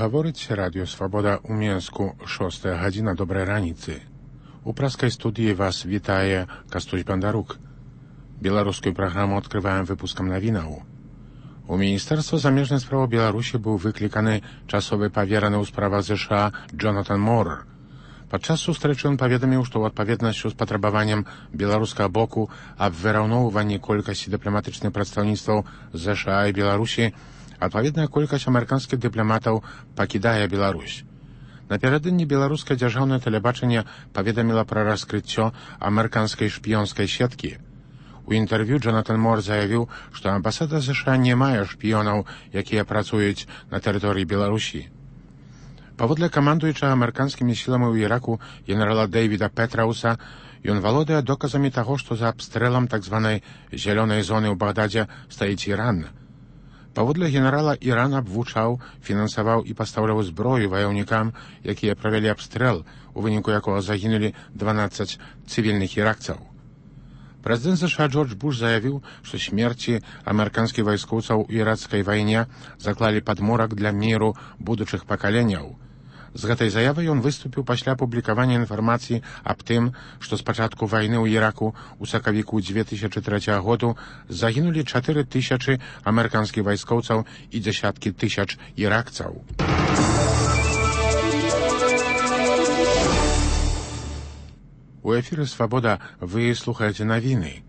Гаворыць Радыё Свабода ў Менску, 6 гадзіна, добрай раніцы. У праскай студыі вас вітае Кастусь Бандарук. Беларускую праграму адкрываем выпускам навінаў. У Міністэрства замежных спраў Беларусі быў выкліканы часовы павераны ў справах ЗША Джонатан Мор. Падчас сустрэчы ён паведаміў, што ў адпаведнасці з патрабаваннем беларускага боку аб выраўноўванні колькасці дыпламатычных прадстаўніцтваў ЗША і Беларусі, адпаведная колькасць амерыканскіх дыпламатаў пакідае Беларусь. Напярэдадні беларускае дзяржаўнае тэлебачанне паведаміла пра раскрыццё амерыканскай шпіёнскай сеткі. У інтэрв'ю Джонатан Мор заявіў, што амбасада ЗША не мае шпіёнаў, якія працуюць на тэрыторыі Беларусі. Паводле камандуючага амерыканскімі сіламі ў Іраку генерала Дэйвіда Петрауса, ён валодае доказамі таго, што за абстрэлам так званай зялёнай зоны ў Багдадзе стаіць Іран. Паводле генерала, Іран абвучаў, фінансаваў і пастаўляў зброю ваяўнікам, якія правялі абстрэл, у выніку якога загінулі 12 цывільных іракцаў. Прэзідэнт ЗША Джордж Буш заявіў, што смерці амерыканскіх вайскоўцаў у іракскай вайне заклалі падмурак для міру будучых пакаленняў. З гэтай заявай ён выступіў пасля апублікавання інфармацыі аб тым, што з пачатку вайны ў Іраку ў сакавіку 2003 году загінулі 4000 амерыканскіх вайскоўцаў і дзясяткі тысяч іракцаў. У эфіры «Свабода» вы слухаеце навіны.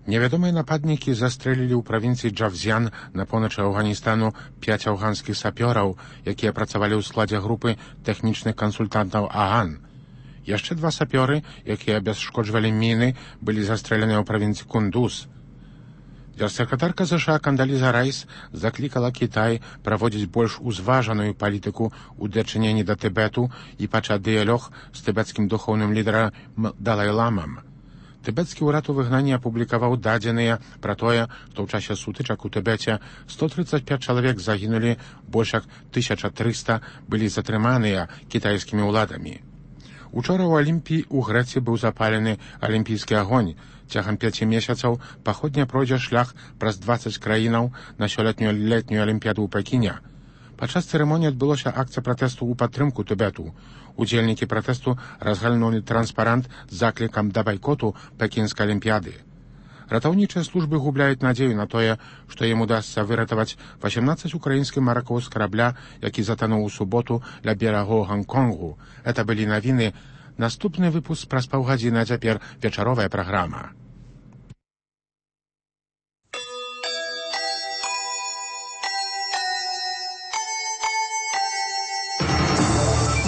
Невядомыя нападнікі застрэлілі ў правінцыі Джавзян на поўначы Афганістану 5 афганскіх сапёраў, якія працавалі ў складзе групы тэхнічных кансультантаў АГАН. Яшчэ 2 сапёры, якія абясшкоджвалі міны, былі застрэляныя ў правінцыі Кундуз. Дзяржсакратарка ЗША Кандаліза Райс заклікала Кітай праводзіць больш узважаную палітыку ў дачыненні да Тыбету і пачаць дыялог з тыбецкім духоўным лідарам Далай-ламам. Тыбецкі ўрад у выгнанні апублікаваў дадзеныя пра тое, што ў часе сутычак у Тыбеце 135 чалавек загінулі, больш як 1300 былі затрыманыя кітайскімі ўладамі. Учора ў Алімпіі ў Грэцыі быў запалены алімпійскі агонь. Цягам 5 месяцаў паходня пройдзе шлях праз 20 краінаў на сёлетнюю летнюю алімпіяду ў Пекіне. Падчас цырымоніі адбылося акцыя пратэсту ў падтрымку Тыбету. Удзельнікі пратэсту разгальнулі транспарант з заклікам да байкоту пекінскай алімпіяды. Ратаўнічыя службы губляюць надзею на тое, што ім удасца выратаваць 18 украінскіх маракоў з карабля, які затануў у суботу ля берагоў Гонконгу. Это былі навіны. Наступны выпуск праз паўгадзіны, а цяпер вечаровая праграма.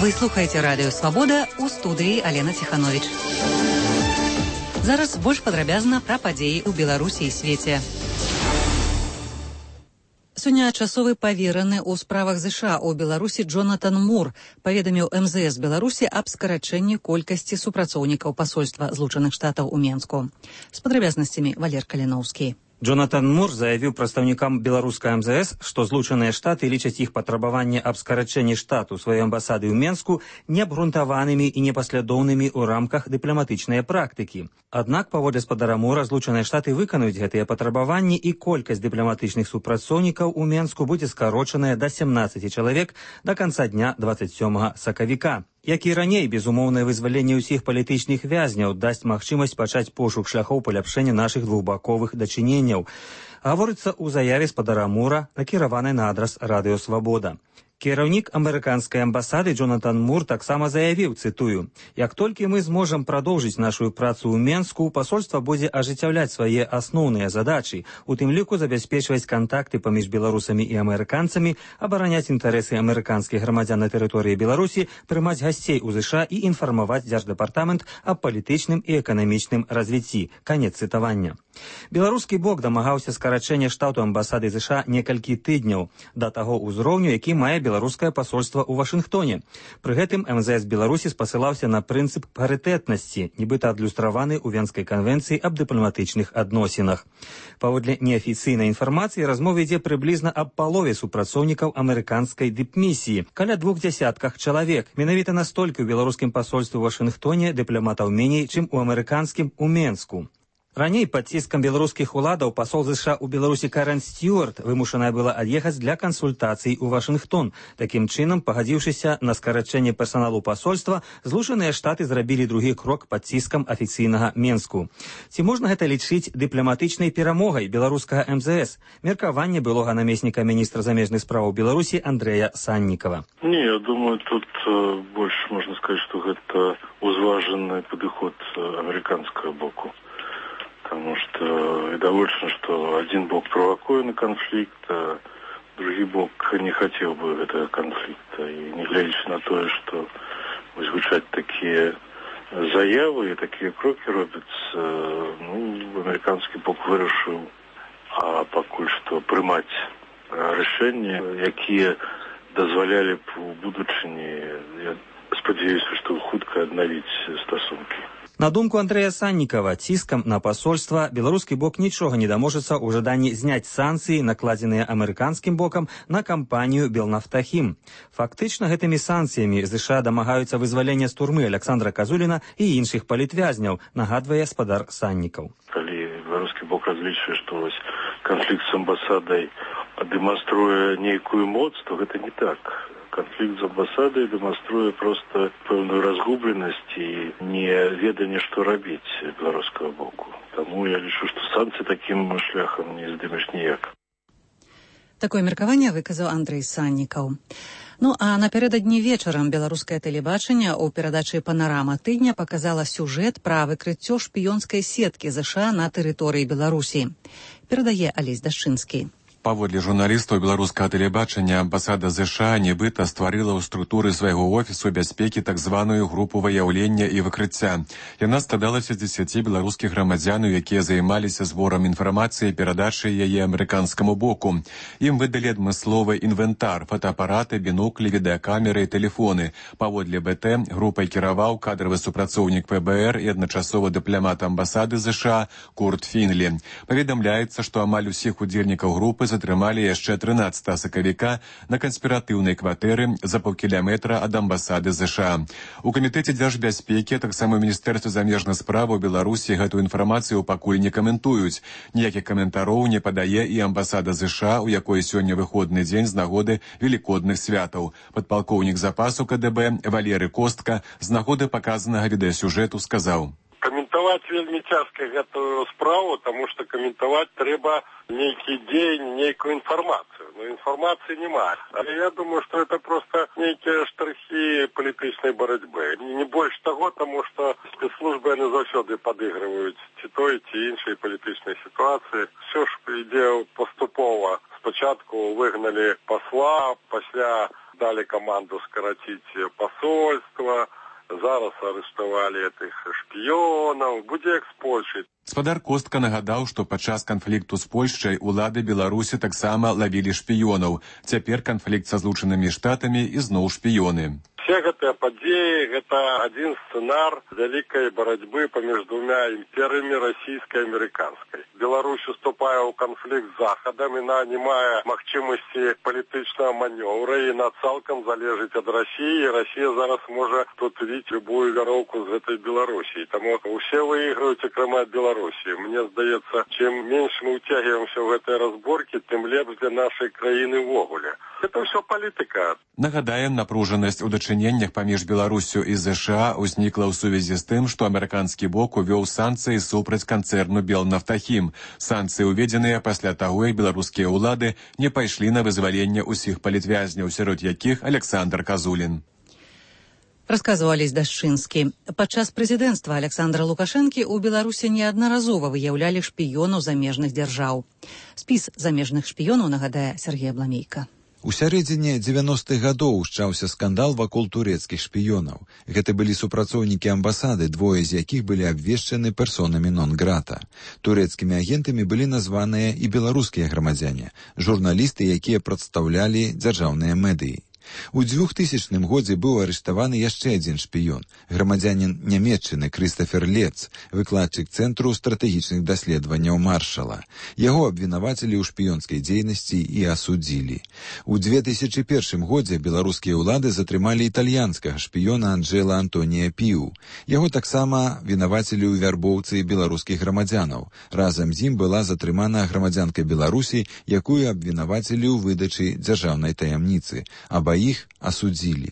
Вы слухаеце Радыё Свабода, у студыі Алена Ціхановіч. Зараз больш падрабязна пра падзеі ў Беларусі і свеце. Сёння часовы павераны ў справах ЗША ў Беларусі Джонатан Мор паведаміў МЗС Беларусі аб скарачэнні колькасці супрацоўнікаў пасольства Злучаных Штатаў у Менску. З падрабязнасцямі Валер Каліноўскі. Джонатан Мор заявіў прадстаўнікам беларускай МЗС, што Злучаныя Штаты лічаць іх патрабаванне аб скарачэнні штату сваёй амбасады ў Менску неабгрунтаванымі і непаслядоўнымі ў рамках дыпламатычнай практыкі. Аднак, паводле спадара Мора, Злучаныя Штаты выканаюць гэтыя патрабаванні і колькасць дыпламатычных супрацоўнікаў у Менску будзе скарочаная да 17 чалавек да канца дня 27 сакавіка. Як і раней, безумоўнае вызваленне ўсіх палітычных вязняў дасць магчымасць пачаць пошук шляхоў паляпшэння нашых двухбаковых дачыненняў. Гаворыцца ў заяве спадара Мора, накіраванай на адрас Радыё Свабода. Кіраўнік амерыканскай амбасады Джонатан Мор таксама заявіў, цытую: «Як толькі мы зможам прадоўжыць нашу працу ў Менску, пасольства будзе ажыццяўляць свае асноўныя задачы, у тым ліку забяспечваць кантакты паміж беларусамі і амерыканцамі, абараняць інтарэсы амерыканскіх грамадзян на тэрыторыі Беларусі, прымаць гасцей у ЗША і інфармаваць дзярждэпартамент аб палітычным і эканамічным развіцці». Канец цытавання. Беларускі бок дамагаўся скарачэння штату амбасады ЗША некалькі тыдняў да таго ўзроўню, які мае беларускае пасольства ў Вашынгтоне. Пры гэтым МЗС Беларусі спасылаўся на прынцып парытэтнасці, нібыта адлюстраваны ў Венскай канвенцыі аб дыпламатычных адносінах. Паводле неафіцыйнай інфармацыі, размова ідзе прыблізна аб палове супрацоўнікаў амерыканскай дыпмісіі, каля 200 чалавек. Менавіта настолькі ў беларускім пасольстве ў Вашынгтоне дыпламатаў меней, чым у амерыканскім у Менску. Раней пад ціскам беларускіх уладаў пасол ЗША ў Беларусі Карен Стюарт вымушаная была ад'ехаць для кансультацый у Вашынгтон. Такім чынам, пагадзіўшыся на скарачэнне персаналу пасольства, Злучаныя Штаты зрабілі другі крок пад ціскам афіцыйнага Менску. Ці можна гэта лічыць дыпламатычнай перамогай беларускага МЗС? Меркаванне былога намесніка міністра замежных справаў Беларусі Андрэя Саннікава. Не, я думаю, тут больше можно сказать, что это узваженный подход американского боку. Потому что довольно, что один бок провокует на конфликт, а другой бок не хотел бы этого конфликта. И не глядя на то, что звучат такие заявы и такие кроки робятся, американский бок вырашил, а пока что принимать решения, которые дозволяли в будущем, я сподіваюся, что хутко обновить стосунки. На думку Андрэя Саннікава, ціскам на пасольства беларускі бок нічога не даможацца ў жаданні зняць санкцыі, накладзеныя амерыканскім бокам на кампанію «Белнафтахім». Фактычна, гэтымі санкцыямі ЗША дамагаюцца вызвалення з турмы Александра Казуліна і іншых палітвязняў, нагадвае спадар Саннікаў. Калі беларускі бок разлічвае, што канфлікт з амбасадай дэманструе нейкую моц, то гэта не так. Конфликт с амбассадой демонструет просто певную разгубленность и неведение, что робить белорусского боку. Тому я лічу, что санкции таким шляхом не здымеш ніяк. Такое меркаванне выказаў Андрэй Саннікаў. А напярэдадні вечарам беларускае тэлебачанне ў перадачы «Панарама тыдня» паказала сюжэт пра выкрыццё шпіёнскай сеткі ЗША на тэрыторыі Беларусі. Перадае Алесь Дашчынскі. Паводле журналістаў беларускага тэлебачання, амбасада ЗША нібыта стварыла ў структуры свайго офісу бяспекі так званую групу выяўлення і выкрыцця. Яна складалася з 10 беларускіх грамадзянаў, якія займаліся зборам інфармацыі і перадачай яе амерыканскаму боку. Ім выдалі адмысловы інвентар, фотоапараты, бінуклі, відэакамеры і тэлефоны. Паводле БТ групай кіраваў кадравы супрацоўнік ПБР і адначасова дыпламат амбасады ЗША Курт Фінлі. Паведамляецца, што амаль усіх удзельнікаў групы затрымалі яшчэ 13 сакавіка на канспіратыўнай кватэры за паўкіляметра ад амбасады ЗША. У камітэце дзяржбяспекі, таксама ў Міністэрстве замежных справаў Беларусі гэтую інфармацыю пакуль не каментуюць. Ніякіх каментароў не падае і амбасада ЗША, у якой сёння выходны дзень з нагоды велікодных святаў. Падпалкоўнік запасу КДБ Валерый Костка з нагоды паказанага відэасюжэту сказаў: Каментаваць вельмі цяжка гэтую справу, таму што каментаваць трэба нейкі дзень, нейкую інфармацыю. Но інфармацыі няма. Але я думаю, што это просто нейкія штрыхі палітычнай барацьбы. Не больш таго, таму што спецслужбы яны заўсёды падыгрываюць ці той, ці іншай палітычнай сітуацыі. Все ж ідзе паступова. Спачатку выгналі пасла, пасля далі каманду скараціць пасольства. Зараз арыштавалі гэтых шпіёнаў, будзе як з Польшай. Спадар Костка нагадаў, што падчас канфлікту з Польшчай улады Беларусі таксама лавілі шпіёнаў. Цяпер канфлікт са Злучанымі Штатамі і зноў шпіёны. Все гэтыя падзеі – гэта адзін сцэнар вялікай барацьбы паміж двумя імперыямі расійскай і амерыканскай. Беларусь уступае ў канфлікт з Захадам, яна не мае магчымасці палітычнага манёвра, і яна цалкам залежыць ад Расіі, і Расія зараз можа тут віць любую вяроўку з гэтай Беларусі. Таму усе выйграюць, акрамя Беларусі. Мне здаецца, чым менш мы ўцягваемся ў гэтыя разборкі, тым лепш для нашай краіны ўвогуле. Это ўсё палітыка. Нагадаем, напружанасць у дачыненнях паміж Беларусю і ЗША ўзнікла ў сувязі з тым, што амерыканскі бок увёў санкцыі супраць канцэрну «Белнафтахім». Санкцыі ўведзеныя пасля таго, як беларускія ўлады не пайшлі на вызваленне ўсіх палітвязняў, сярод якіх Александр Казулін. Расказваў Алесь Дашчынскі. Падчас прэзідэнцтва Александра Лукашэнкі ў Беларусі неаднаразова выяўлялі шпіёнаў замежных дзяржаў. Спіс замежных шпіёнаў нагадае Сергей Абламейка. У сярэдзіне 90-х гадоў ушчаўся скандал вакол турэцкіх шпіёнаў. Гэта былі супрацоўнікі амбасады, двое з якіх былі абвешчаны персонамі нон-грата. Турэцкімі агентамі былі названыя і беларускія грамадзяне, журналісты, якія прадстаўлялі дзяржаўныя медыі. У 2000 годзе быў арыштаваны яшчэ адзін шпіён, грамадзянін Нямецчыны Крыстафер Лец, выкладчык Цэнтру стратэгічных даследаванняў Маршала. Яго абвінавацілі ў шпіёнскай дзейнасці і асудзілі. У 2001 годзе беларускія ўлады затрымалі італьянскага шпіёна Анджэла Антонія Піу. Яго таксама вінавацілі ў вярбоўцы беларускіх грамадзянаў. Разам з ім была затрымана грамадзянка Беларусі, якую абвінавацілі ў выдачы дзяржаўнай таямніцы. Абаіх асудзілі.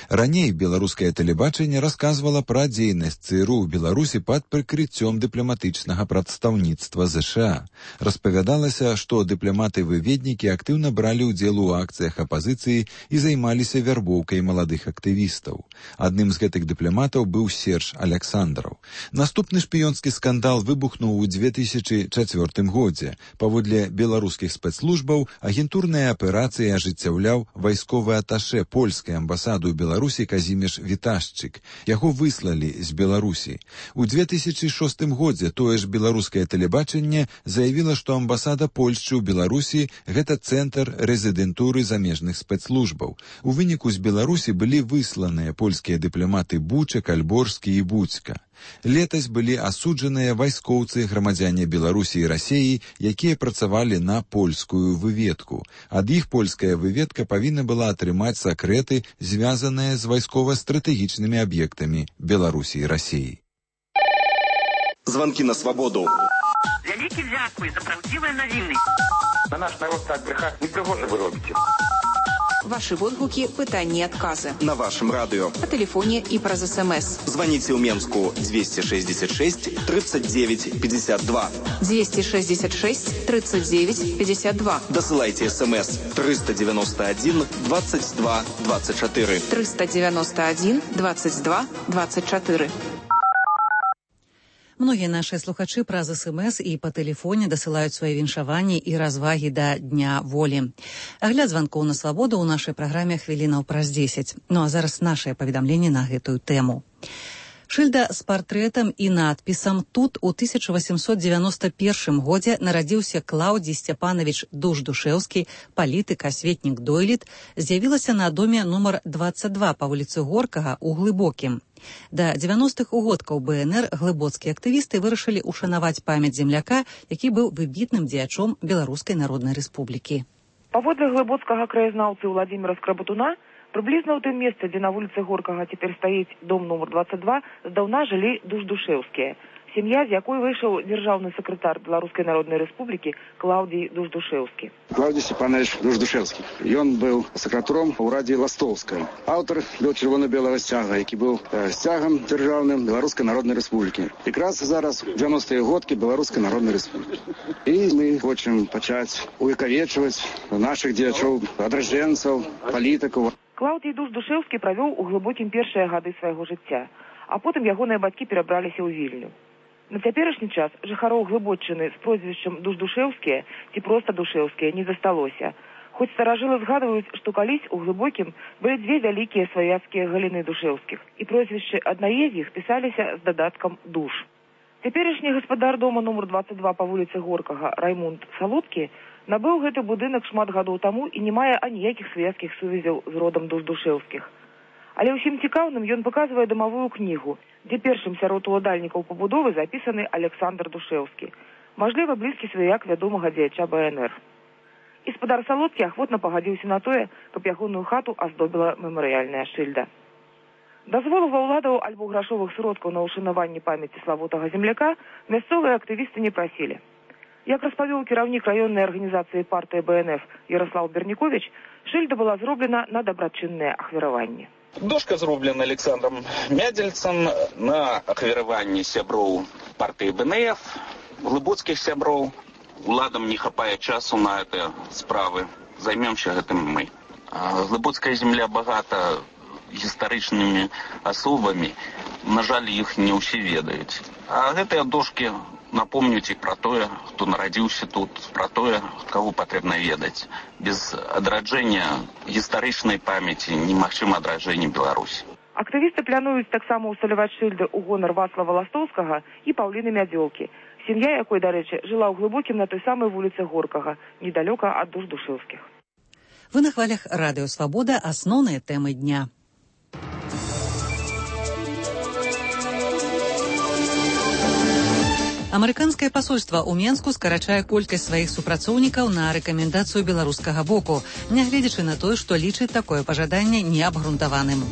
Раней беларускае тэлебачанне расказвала пра дзейнасць ЦРУ ў Беларусі пад прыкрыццём дыпламатычнага прадстаўніцтва ЗША. Распавядалася, што дыпламаты-выведнікі актыўна бралі ўдзел у акцыях апазіцыі і займаліся вярбоўкай маладых актывістаў. Адным з гэтых дыпламатаў быў Серж Аляксандраў. Наступны шпіёнскі скандал выбухнуў у 2004 годзе. Паводле беларускіх спецслужбаў агентурныя аперацыі ажыццяўляў вайсковы аташэ польскай амбасады ў Беларусі Казіміш Віташчык. Яго выслалі з Беларусі. У 2006 годзе тое ж беларускае тэлебачанне заявіла, што амбасада Польшчы ў Беларусі гэта цэнтр рэзідэнтуры замежных спецслужбаў. У выніку з Беларусі былі высланыя польскія дыпламаты Бучак, Альборскі і Будзька. Летась былі асуджаныя вайскоўцы грамадзяне Беларусі і Расіі, якія працавалі на польскую выведку. Ад іх польская выведка павінна была атрымаць сакрэты, звязаныя з вайскова-стратэгічнымі аб'ектамі Беларусі і Расіі. Звонки на свободу. Вялікі дзякуй за правдзівыя навіны. На наш народ так брехаць непрыгожа вы робіце. Ваши водгуки, пытанні і адказы. На вашем радио. По телефоне и праз СМС. Звоните в Менску 266 39 52. 266 39 52. Досылайте СМС 391 22 24. 391 22 24. Многія нашыя слухачы праз СМС і па тэлефоне дасылаюць свае віншаванні і развагі да Дня волі. Агляд званкоў на свабоду ў нашай праграме хвілінаў праз 10. Ну а зараз нашае паведамленне на гэтую тэму. Шыльда з партрэтам і надпісам «Тут у 1891 годзе нарадзіўся Клаўдзій Сцяпанович Душ-Душэўскі, палітык, асветнік дойлід», з'явілася на доме нумар 22 па вуліцы Горкага ў Глыбокім. Да 90-х угодкаў БНР глыбоцкія актывісты вырашылі ушанаваць памяць земляка, які быў выбітным дзеячом Беларускай Народнай Рэспублікі. Паводле глыбоцкага краязнаўцы Владзіміра Скрабатуна, прыблізна ў тым месцы, дзе на вуліцы Горкага цяпер стаіць дом нумар 22, здаўна жылі Душ-Душэўскія. Сям'я, з якой выйшаў дзяржаўны сакратар Беларускай Народнай Рэспублікі Клаўдзій Душ-Душэўскі. Клаўдзій Сцяпанович Душ-Душэўскі. Ён быў сакратаром у Раді Ластовскай. Аўтар до чырвона-белага сцяга, які быў сцягам дзяржаўным Беларускай Народнай Рэспублікі. Якраз зараз 90-е годкі Беларускай Народнай Рэспублікі. І мы хочам пачаць увекавечваць нашых дзеячоў, адраджэнцаў, палітыкаў. Клаўдзій Душ-Душэўскі правёў у Глыбокім першыя гады свайго жыцця, а потым ягоныя бацькі перабраліся ў Вільню. На цяперашні час жыхароў Глыбоччыны з прозвішчам Душ-Душэўскія ці проста Душэўскія не засталося. Хоць старажылы згадваюць, што калісь у Глыбокім былі дзве вялікія сваяцкія галіны Душэўскіх, і прозвішчы аднае з іх пісаліся з дадаткам «Душ». Цяперашні гаспадар дома нумар 22 па вуліцы Горкага Раймунд Салодкі набыў гэты будынак шмат гадоў таму і не мае аніякіх сваяцкіх сувязяў з родам Душ-Душэўскіх. Але ўсім цікаўным ён паказвае дамавую кнігу, дзе першым сярод уладальнікаў пабудовы запісаны Аляксандр Душэўскі, мажліва, блізкі сваяк вядомага дзеяча БНР. І спадар Салодкі ахвотна пагадзіўся на тое, каб ягоную хату аздобіла мемарыяльная шыльда. Дазволу ва ўладаў альбо грашовых сродкаў на ўшанаванне памяці славутага земляка мясцовыя актывісты не прасілі. Як распавёў кіраўнік раённай арганізацыі партыі БНФ Ярослав Бернікович, шыльда была зроблена на дабрачыннае ахвяраванне. Дошка зроблена Александром Мядзельцам на ахвяраванне сяброў партыі БНФ, глыбоцкіх сяброў. Уладам не хапае часу на это справы. Займемся гэтым мы. Глыбоцкая земля багата гістарычнымі асобамі. На жаль, іх не ўсе ведаюць. А гэтыя дошкі напомнюць і пра тое, хто нарадзіўся тут, пра тое, каго патрэбна ведаць. Без адраджэння гістарычнай памяці немагчыма адраджэнне Беларусі. Актывісты плануюць таксама ўсталяваць шыльды ў гонар Вацлава Ластовскага і Паўліны Мядзёлкі, сям'я якой, дарэчы, жыла ў Глыбокім на той самай вуліцы Горкага, недалёка ад Душ-Душэўскіх. Вы на хвалях Радио Свобода. Основные темы дня. Амерыканскае пасольства ў Менску скарачае колькасць сваіх супрацоўнікаў на рэкамендацыю беларускага боку, нягледзячы на тое, што лічыць такое пажаданне неабгрунтаваным.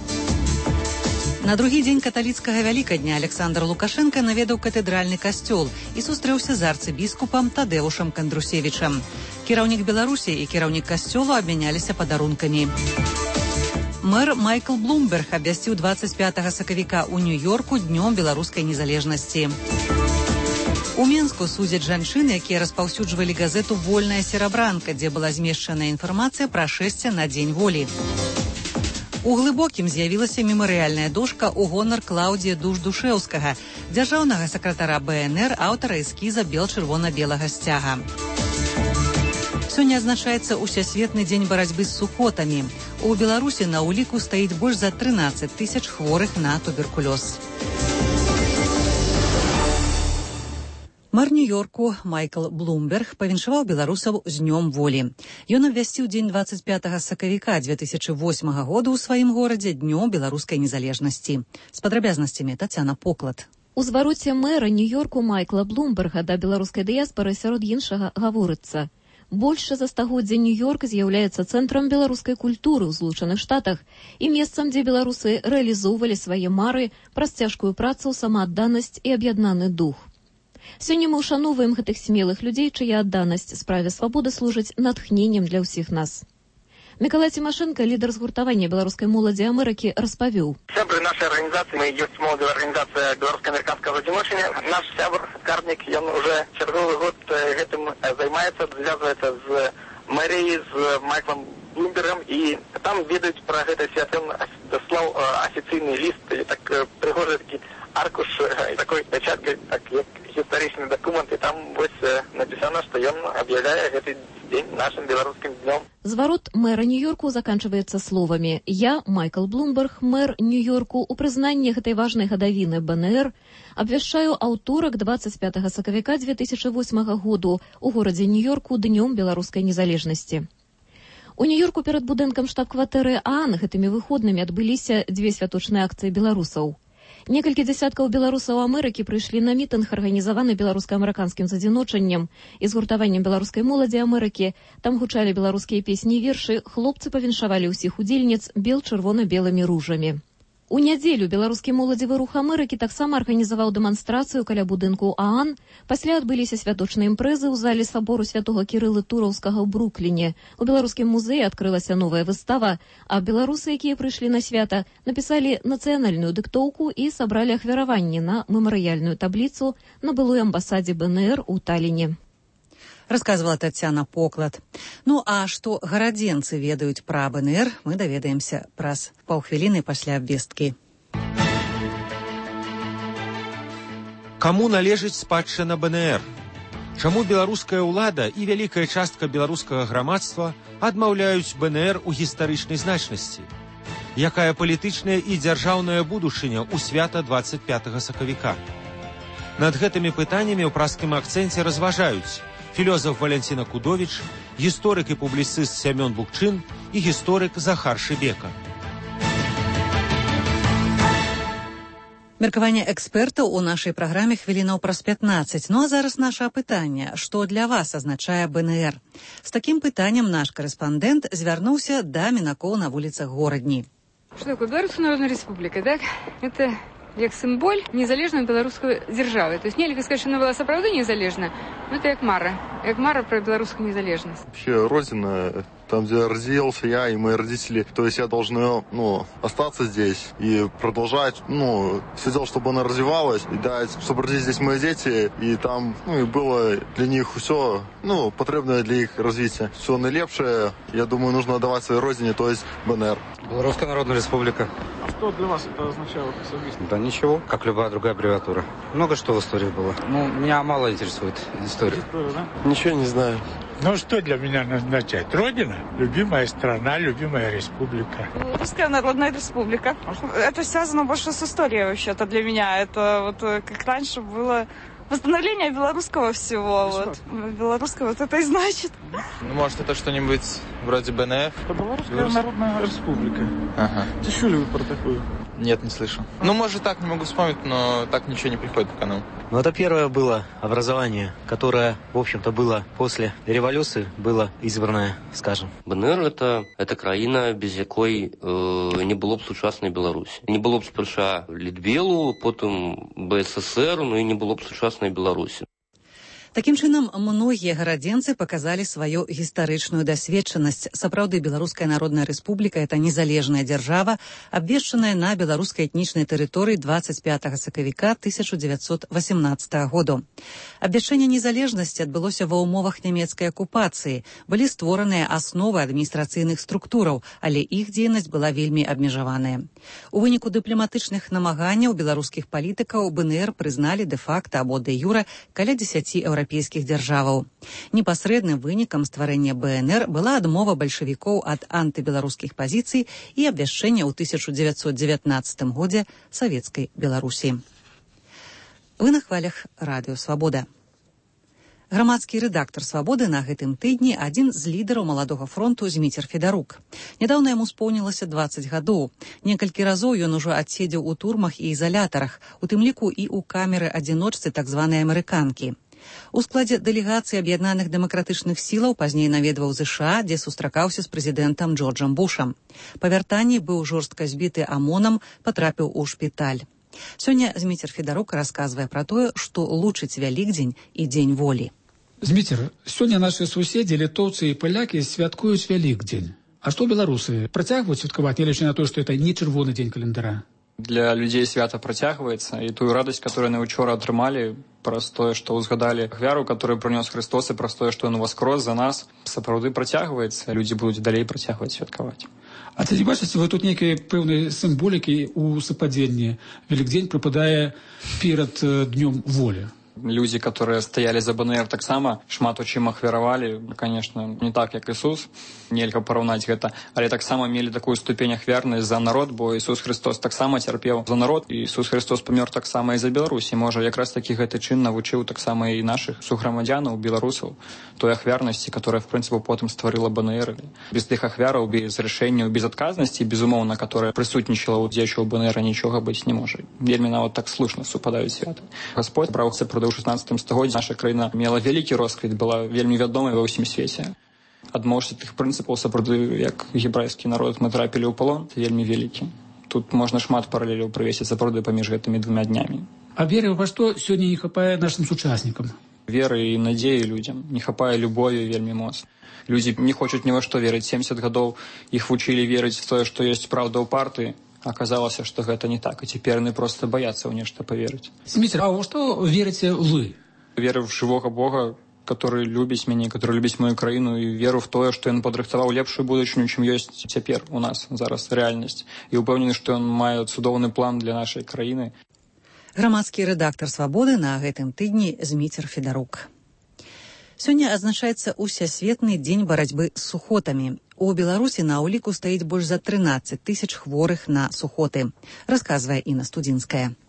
На другі дзень каталіцкага вялікадня Александр Лукашенко наведаў катэдральны касцёл і сустрэўся з арцыбіскупам Тадэушам Кандрусевічам. Кіраўнік Беларусі і кіраўнік касцёлу абмяняліся падарункамі. Мэр Майкл Блумберг абвясціў 25 сакавіка ў Нью-Йорку днём беларускай незалежнасці. У Менску судзяць жанчын, якія распаўсюджвалі газету «Вольная серабранка», дзе была змешчана інфармацыя пра шэсце на Дзень волі. У Глыбокім з'явілася мемарыяльная дошка ў гонар Клаўдзія Душ-Душэўскага, дзяржаўнага сакратара БНР, аўтара эскіза бел-чырвона-белага сцяга. Сёння адзначаецца Усесветны дзень барацьбы з сухотамі. У Беларусі на ўліку стаіць больш за 13 тысяч хворых на туберкулёз. Мэр Нью-Йорку Майкл Блумберг павіншаваў беларусаў з днём волі. Ён абвясціў дзень 25 сакавіка 2008 года ў сваім горадзе днём беларускай незалежнасці. З падрабязнасцямі Тацяна Поклад. У звароце мэра Нью-Йорку Майкла Блумберга да беларускай дыяспары сярод іншага гаворыцца. Больш за стагоддзя Нью-Йорк з'яўляецца цэнтрам беларускай культуры ў Злучаных Штатах і месцам, дзе беларусы рэалізоўвалі свае мары праз цяжкую працу, самаадданасць і аб'яднаны дух. Сёння мы ушаноўваем гэтых смелых людзей, чыя адданасць справе свабоды служыць натхненнем для ўсіх нас. Мікалай Цімашэнка, лідар згуртавання беларускай моладзі Амерыкі, распавёў. Сябры нашай арганізацыі, мы ёсць моладзевая арганізацыя беларуска-амерыканскага адзіночання. Наш сябр, Карнік, ён уже чарговы год гэтым займаецца, звязваецца з мэріяй, з Майклом Блумбергом, і там ведаюць пра гэта свята. Ён даслаў афіцыйны ліст, так прыгожы такі аркуш такой пячаткай, так як гістарычны дакумент, і там вось напісана, што ён аб'яўляе гэты дзень нашым беларускім днём. Зварот мэра Нью-Йорку заканчваецца словамі: «Я, Майкл Блумберг, мэр Нью-Йорку, у прызнанні гэтай важнай гадавіны БНР абвяшчаю аўторак 25 сакавіка 2008 году у горадзе Нью-Йорку днём беларускай незалежнасці». У Нью-Йорку перад будынкам штаб-кватэры ААН гэтымі выходнымі адбыліся дзве святочныя акцыі беларусаў. Некалькі дзясяткаў беларусаў Амерыкі прыйшлі на мітынг, арганізаваны беларуска-амерыканскім задзіночаннем і згуртаваннем беларускай моладзі Амерыкі. Там гучалі беларускія песні і вершы, хлопцы павіншавалі ўсіх удзельніц бел-чырвона-белымі ружамі. У нядзелю беларускі моладзевы рух Амерыкі таксама арганізаваў дэманстрацыю каля будынку ААН. Пасля адбыліся святочныя імпрэзы ў залі сабору святога Кірылы Тураўскага ў Брукліне. У беларускім музеі адкрылася новая выстава, а беларусы, якія прыйшлі на свята, напісалі нацыянальную дыктоўку і сабралі ахвяраванні на мемарыяльную табліцу на былой амбасадзе БНР у Таліне. Расказвала Тацяна Поклад. Ну а што гарадзенцы ведаюць пра БНР, мы даведаемся праз паўхвіліны пасля абвесткі. Каму належыць спадчына БНР? Чаму беларуская ўлада і вялікая частка беларускага грамадства адмаўляюць БНР у гістарычнай значнасці? Якая палітычная і дзяржаўная будучыня ў свята 25 сакавіка? Над гэтымі пытаннямі ў праскім акцэнце разважаюць філёзаф Валянціна Кудовіч, гісторык і публіцыст Сямён Букчын і гісторык Захар Шыбека. Меркаванне экспертаў у нашай праграме хвілінаў праз 15. Ну а зараз наша апытанне. Што для вас азначае БНР? З такім пытаннем наш корэспандэнт звярнуўся да мінакоў на вуліцах горадні. Что такое Белорусская Народная Республика, так? Это як символь незалежної белорусской державы. То есть нельзя сказать, что она была сапраўды незалежна, но это як мара про белорусскую незалежность. Вообще, родина, там, где родился я и мои родители, то есть я должен, остаться здесь и продолжать, все делать, чтобы она развивалась, и дать, чтобы родились здесь мои дети, и там, и было для них все, потребное для их развития. Все наилепшее, я думаю, нужно отдавать своей родине, то есть БНР. Белорусская Народная Республика. А что для вас это означало особенно? Да ничего, как любая другая аббревиатура. Много что в истории было. Меня мало интересует история. Да? Ничего не знаю. Что для меня означает? Родина, любимая страна, любимая республика. Русская Народная Республика. Это связано больше с историей вообще-то для меня. Это вот как раньше было Восстановление белорусского всего. Вот. Белорусского вот это и значит. Ну, может, это что-нибудь вроде БНФ? Это Белорусская Народная Республика. Ага. Слышали вы про такую? Нет, не слышу. Ну, может, так, не могу вспомнить, но так ничего не приходит пока нам. Ну, это первое было образование, которое, в общем-то, было после революции, было избранное, скажем. БНР – это краіна, без якой не было б сучасной Беларуси. Не было б сперша Литвелу, потом БССР, ну и не было б сучасной Беларуси. Такім чынам, многія гарадзенцы паказалі сваю гістарычную дасведчанасць. Сапраўды, Беларуская Народная Рэспубліка – это незалежная дзяржава, абвешчаная на беларускай этнічнай тэрыторыі 25 сакавіка 1918 году. Абвяшчэнне незалежнасці адбылося ва ўмовах нямецкай акупацыі. Былі створаныя асновы адміністрацыйных структураў, але іх дзейнасць была вельмі абмежаваная. У выніку дыпламатычных намаганняў беларускіх палітыкаў БНР прызналі дэ-факта або дэ-юра каля 10 еўрапейскіх дзяржаваў. Непасрэдным вынікам стварэння БНР была адмова бальшавікоў ад антыбеларускіх пазіцый і абвяшчэння ў 1919 годзе савецкай Беларусі. Вы на хвалях радыё «Свабода». Грамадскі рэдактар «Свабоды» на гэтым тыдні адзін з лідараў маладога фронту Зміцер Федарук. Нядаўна яму споўнілася 20 гадоў. Некалькі разоў ён ужо адседзеў у турмах і ізалятарах, у тым ліку і ў камеры-адзіночцы так званай амерыканкі. У складзе дэлегацыі аб'яднаных дэмакратычных сілаў пазней наведваў ЗША, дзе сустракаўся з прэзідэнтам Джорджам Бушам. Па вяртанні быў жорстка збіты АМОНам, патрапіў у шпіталь. Сёння Зміцер Федарук расказвае пра тое, што лучыць Вялікдзень і Дзень волі. Зміцер, сёння нашы суседзі, літоўцы і палякі святкуюць Вялікдзень. А што беларусы? Працягваюць святкаваць, нягледзячы на то, што это не чырвоны дзень календара? Для людзей свята працягваецца, і тую радасць, которую яны учора атрымалі, праз тое, што ўзгадалі ахвяру, которую прынёс Христос, і праз тое, што ён воскрос за нас, сапраўды працягваецца. Людзі будуць далей працягваць святкаваць. А ці не бачыце вы тут нейкай пэўнай сімволікі ў супадзенні? Вялікдзень прыпадае перад днём волі. Людзі, которые стаялі за БНР, таксама шмат у чым ахвяравалі, конечно, не так, як Ісус, нельга параўнаць гэта, але таксама мелі такую ступень ахвярнасць за народ, бо Ісус Христос таксама цярпеў за народ, і Ісус Христос памёр таксама і за Беларусь, і можа якраз такі гэты чын навучыў таксама і нашых суграмадзянаў, беларусаў, той ахвярнасці, которая, в прынцыпе, потым стварыла БНР. Без тых ахвяраў, без рашэнняў, без адказнасці, безумоўна, которая прысутнічала ў дзеячаў БНР, нічога быць не можа. Вельмі нават так слушна супадаюць святы. Господь браў сапраўды ў 16 стагоддзі наша краіна мела вялікі росквіт, была вельмі вядомай ва ўсім свеце. Адмоўшся тых прынцыпаў сапраўды, як гебрайскі народ, мы трапілі ў палон, вельмі вялікі. Тут можна шмат паралеляў прывесці сапраўды паміж гэтымі двумя днямі. А веры во што сёння не хапае нашым сучаснікам? Веры і надзеі людзям, не хапае любові вельмі моцна. Людзі не хочуць ні во што верыць. 70 гадоў іх вучылі верыць в тое, што ёсць праўда ў партыі. Аказалася, што гэта не так, і цяпер яны проста баяцца ў нешта паверыць. Зміцер, а ў што верыце вы? Веру в жывога Бога, который любіць мяне, который любіць мою краіну, і веру в тое, што ён падрыхтаваў лепшую будучыню, чым ёсць цяпер у нас зараз рэальнасць. І ўпэўнены, што ён мае цудоўны план для нашай краіны. Грамадскі рэдактар «Свабоды» на гэтым тыдні Зміцер Федарук. Сёння адзначаецца усесветны дзень барацьбы з сухотамі. У Беларусі на ўліку стаіць больш за 13 000 хворых на сухоты, расказвае Інна Студзінская.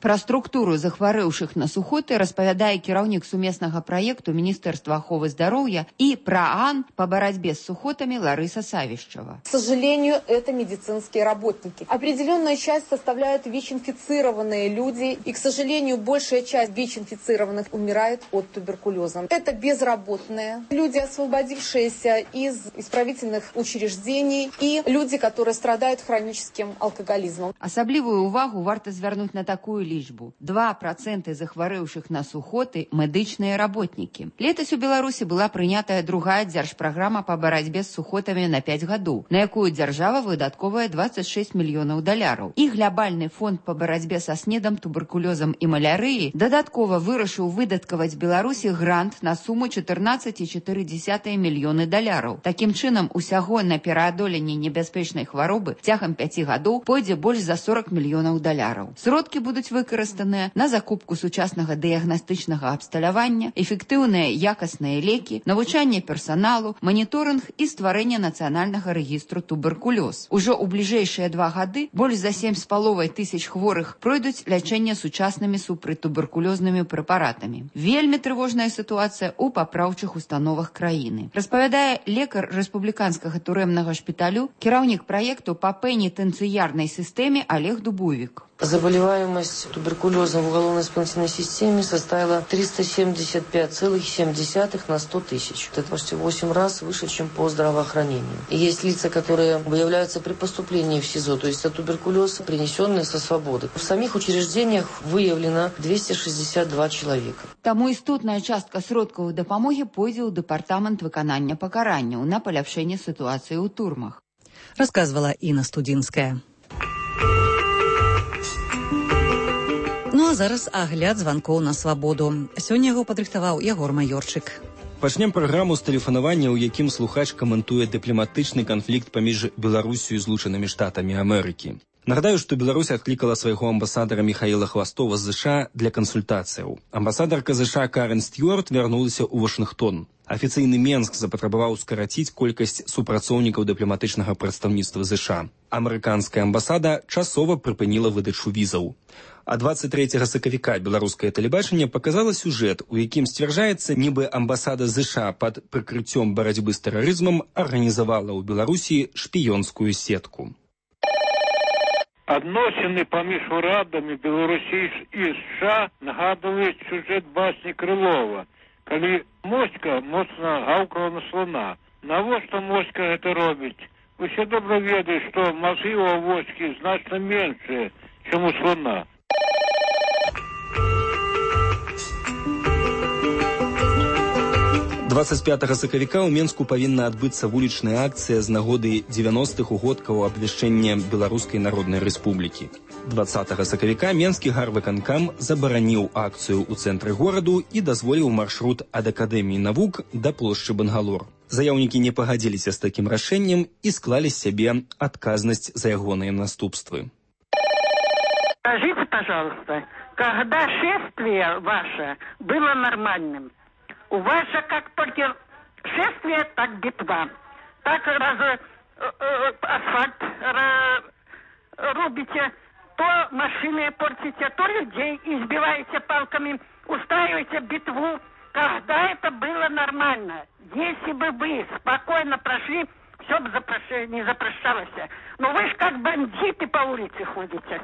Пра структуру захварэўшых на сухоты распавядае кіраўнік сумеснага праекту Міністэрства аховы здароўя і ПРААН по барацьбе с сухотами Лариса Савищева. К сожалению, это медицинские работники. Определенная часть составляют ВИЧ-инфицированные люди, и, к сожалению, большая часть ВИЧ-инфицированных умирает от туберкулеза. Это безработные, люди, освободившиеся из исправительных учреждений, и люди, которые страдают хроническим алкоголизмом. Асаблівую увагу варта звярнуць на такую лічбу. 2% захварэўшых на сухоты медычныя работнікі. Летась у Беларусі была прынятая другая дзяржпраграма па барацьбе з сухотамі на 5 гадоў, на якую дзяржава выдаткоўвае $26 мільёнаў. І глобальны фонд па барацьбе са снедам, туберкулёзам і малярыяй дадаткова вырашыў выдаткаваць Беларусі грант на суму $14,4 мільёны. Такім чынам, усяго на пераадоленне небяспечнай хваробы цягам 5 гадоў пойдзе больш за $40 мільёнаў. Сродкі будуць выкарыстаныя на закупку сучаснага дыягнастычнага абсталявання, эфектыўныя якасныя лекі, навучанне персаналу, маніторынг і стварэнне нацыянальнага рэгістру туберкулёз. Ужо ў бліжэйшыя 2 гады больш за 7,5 тысяч хворых пройдуць лячэнне сучаснымі супрацьтуберкулёзнымі прэпаратамі. Вельмі трывожная сітуацыя ў папраўчых установах краіны. Распавядае лекар рэспубліканскага турэмнага шпіталю, кіраўнік праекту па пенітэнцыярнай сістэме Олег Дубовик. Заболеваемость туберкулезом в уголовно-исполнительной системе составила 375,7 на 100 тысяч. Это почти 8 раз выше, чем по здравоохранению. И есть лица, которые выявляются при поступлении в СИЗО, то есть это туберкулез, принесенный со свободы. В самих учреждениях выявлено 262 человека. Таму істотная частка сродкаў дапамогі пойдзе ў дэпартамент выканання пакаранняў на паляпшэнне сітуацыі ў турмах. Рассказывала Інна Студзінская. Ну а зараз агляд званкоў на свабоду. Сёння яго падрыхтаваў Ягор Майорчык. Пачнем праграму з тэлефанавання, у якім слухач каментуе дыпламатычны канфлікт паміж Беларусю і Злучанымі Штатамі Амерыкі. Нагадаю, што Беларусь адклікала свайго амбасадара Михаіла Хвастова з ЗША для кансультацыяў. Амбасадарка ЗША Карен Стюарт вярнулася ў Вашынгтон. Афіцыйны Менск запатрабаваў скараціць колькасць супрацоўнікаў дыпламатычнага прадстаўніцтва ЗША. Амерыканская амбасада часова прыпыніла выдачу візаў. А 23 сакавіка беларускае тэлебачанне паказала сюжэт, у якім сцвярджаецца, нібы амбасада ЗША пад прыкрыццём барацьбы з тэрарызмам арганізавала ў Беларусі шпіёнскую сетку. Адносіны паміж урадамі Беларусі і США нагадваюць сюжэт басні Крылова, калі моська моцна гаўкала на слона. Навошта моська гэта робіць? Вы все добра ведаеце, што мазгі ў авоські значна меншыя, чым у слона. – 25 сакавіка ў Менску павінна адбыцца вулічная акцыя з нагоды 90-х угодкаў абвяшчэння Беларускай Народнай Рэспублікі. 20 сакавіка Менскі гарвыканкам забараніў акцыю ў цэнтры гораду і дазволіў маршрут ад Акадэміі навук да плошчы Бангалор. Заяўнікі не пагадзіліся з такім рашэннем і склалі з сябе адказнасць за ягоныя наступствы. Скажите, пожалуйста, когда шествие ваше было нормальным? У вас же как только шествие, так битва. Так асфальт рубите, то машины портите, то людей избиваете палками, устраиваете битву. Когда это было нормально? Если бы вы спокойно прошли, все бы не запрещалось. Но вы же как бандиты по улице ходите.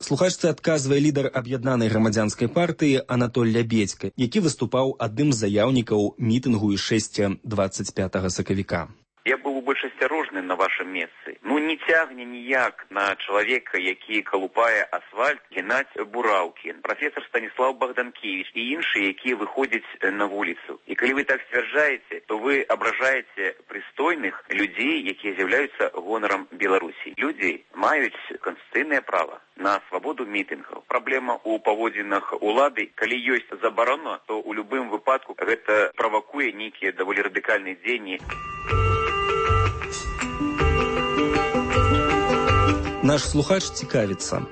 Слухачцы адказвае лідар аб'яднанай грамадзянскай партыі Анатоль Лябедзька, які выступаў адным з заяўнікаў мітынгу ішэсця 25 сакавіка. Я был бы больш асцярожны на вашем месцы. Не цягне ніяк на чалавека, які калупае асфальт, генаць бураўкі. Прафесор Станіслав Богданкевич і іншыя, якія выходзяць на вуліцу. І калі вы так сцвярджаеце, то вы абражаеце прыстойных людзей, якія з'яўляюцца гонарам Беларусі. Людзі маюць канстытуцыйнае права на свабоду мітынгаў. Праблема ў паводзінах улады, калі ёсць забарона, то ў любым выпадку гэта правакуе нейкія даволі радыкальныя дзеянні. Наш слухач цікавіцца.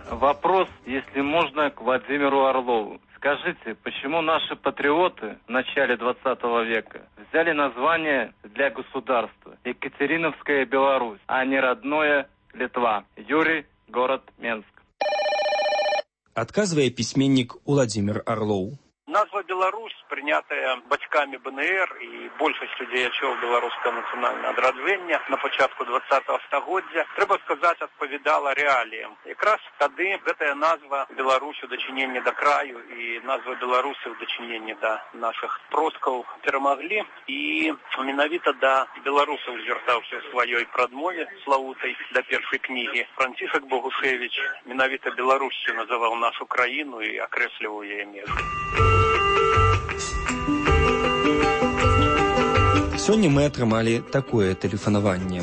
Вопрос, если можно, к Владимиру Орлову. Скажите, почему наши патриоты в начале 20 века взяли название для государства Екатериновская Беларусь, а не родное Литва? Юрий, город Менск. Адказвае пісьменнік Владимир Орлов. Назва Беларусь, прынятая бацькамі БНР і большасцю дзеячоў беларускага нацыянальнага адраджэння на пачатку 20-го стагоддзя, трэба сказаць, адпавядала рэаліям. Якраз тады гэтая назва Беларусь у дачыненні да краю і назва Беларусі ў дачыненні да нашых продкаў перамаглі. І менавіта да беларусаў звяртаўся ў сваёй прадмове славутай да першай кнігі Францішак Богушевіч. Менавіта Беларусю называў нашу краіну і акрэсліваў яе межы. Сёння мы атрымалі такое тэлефанаванне.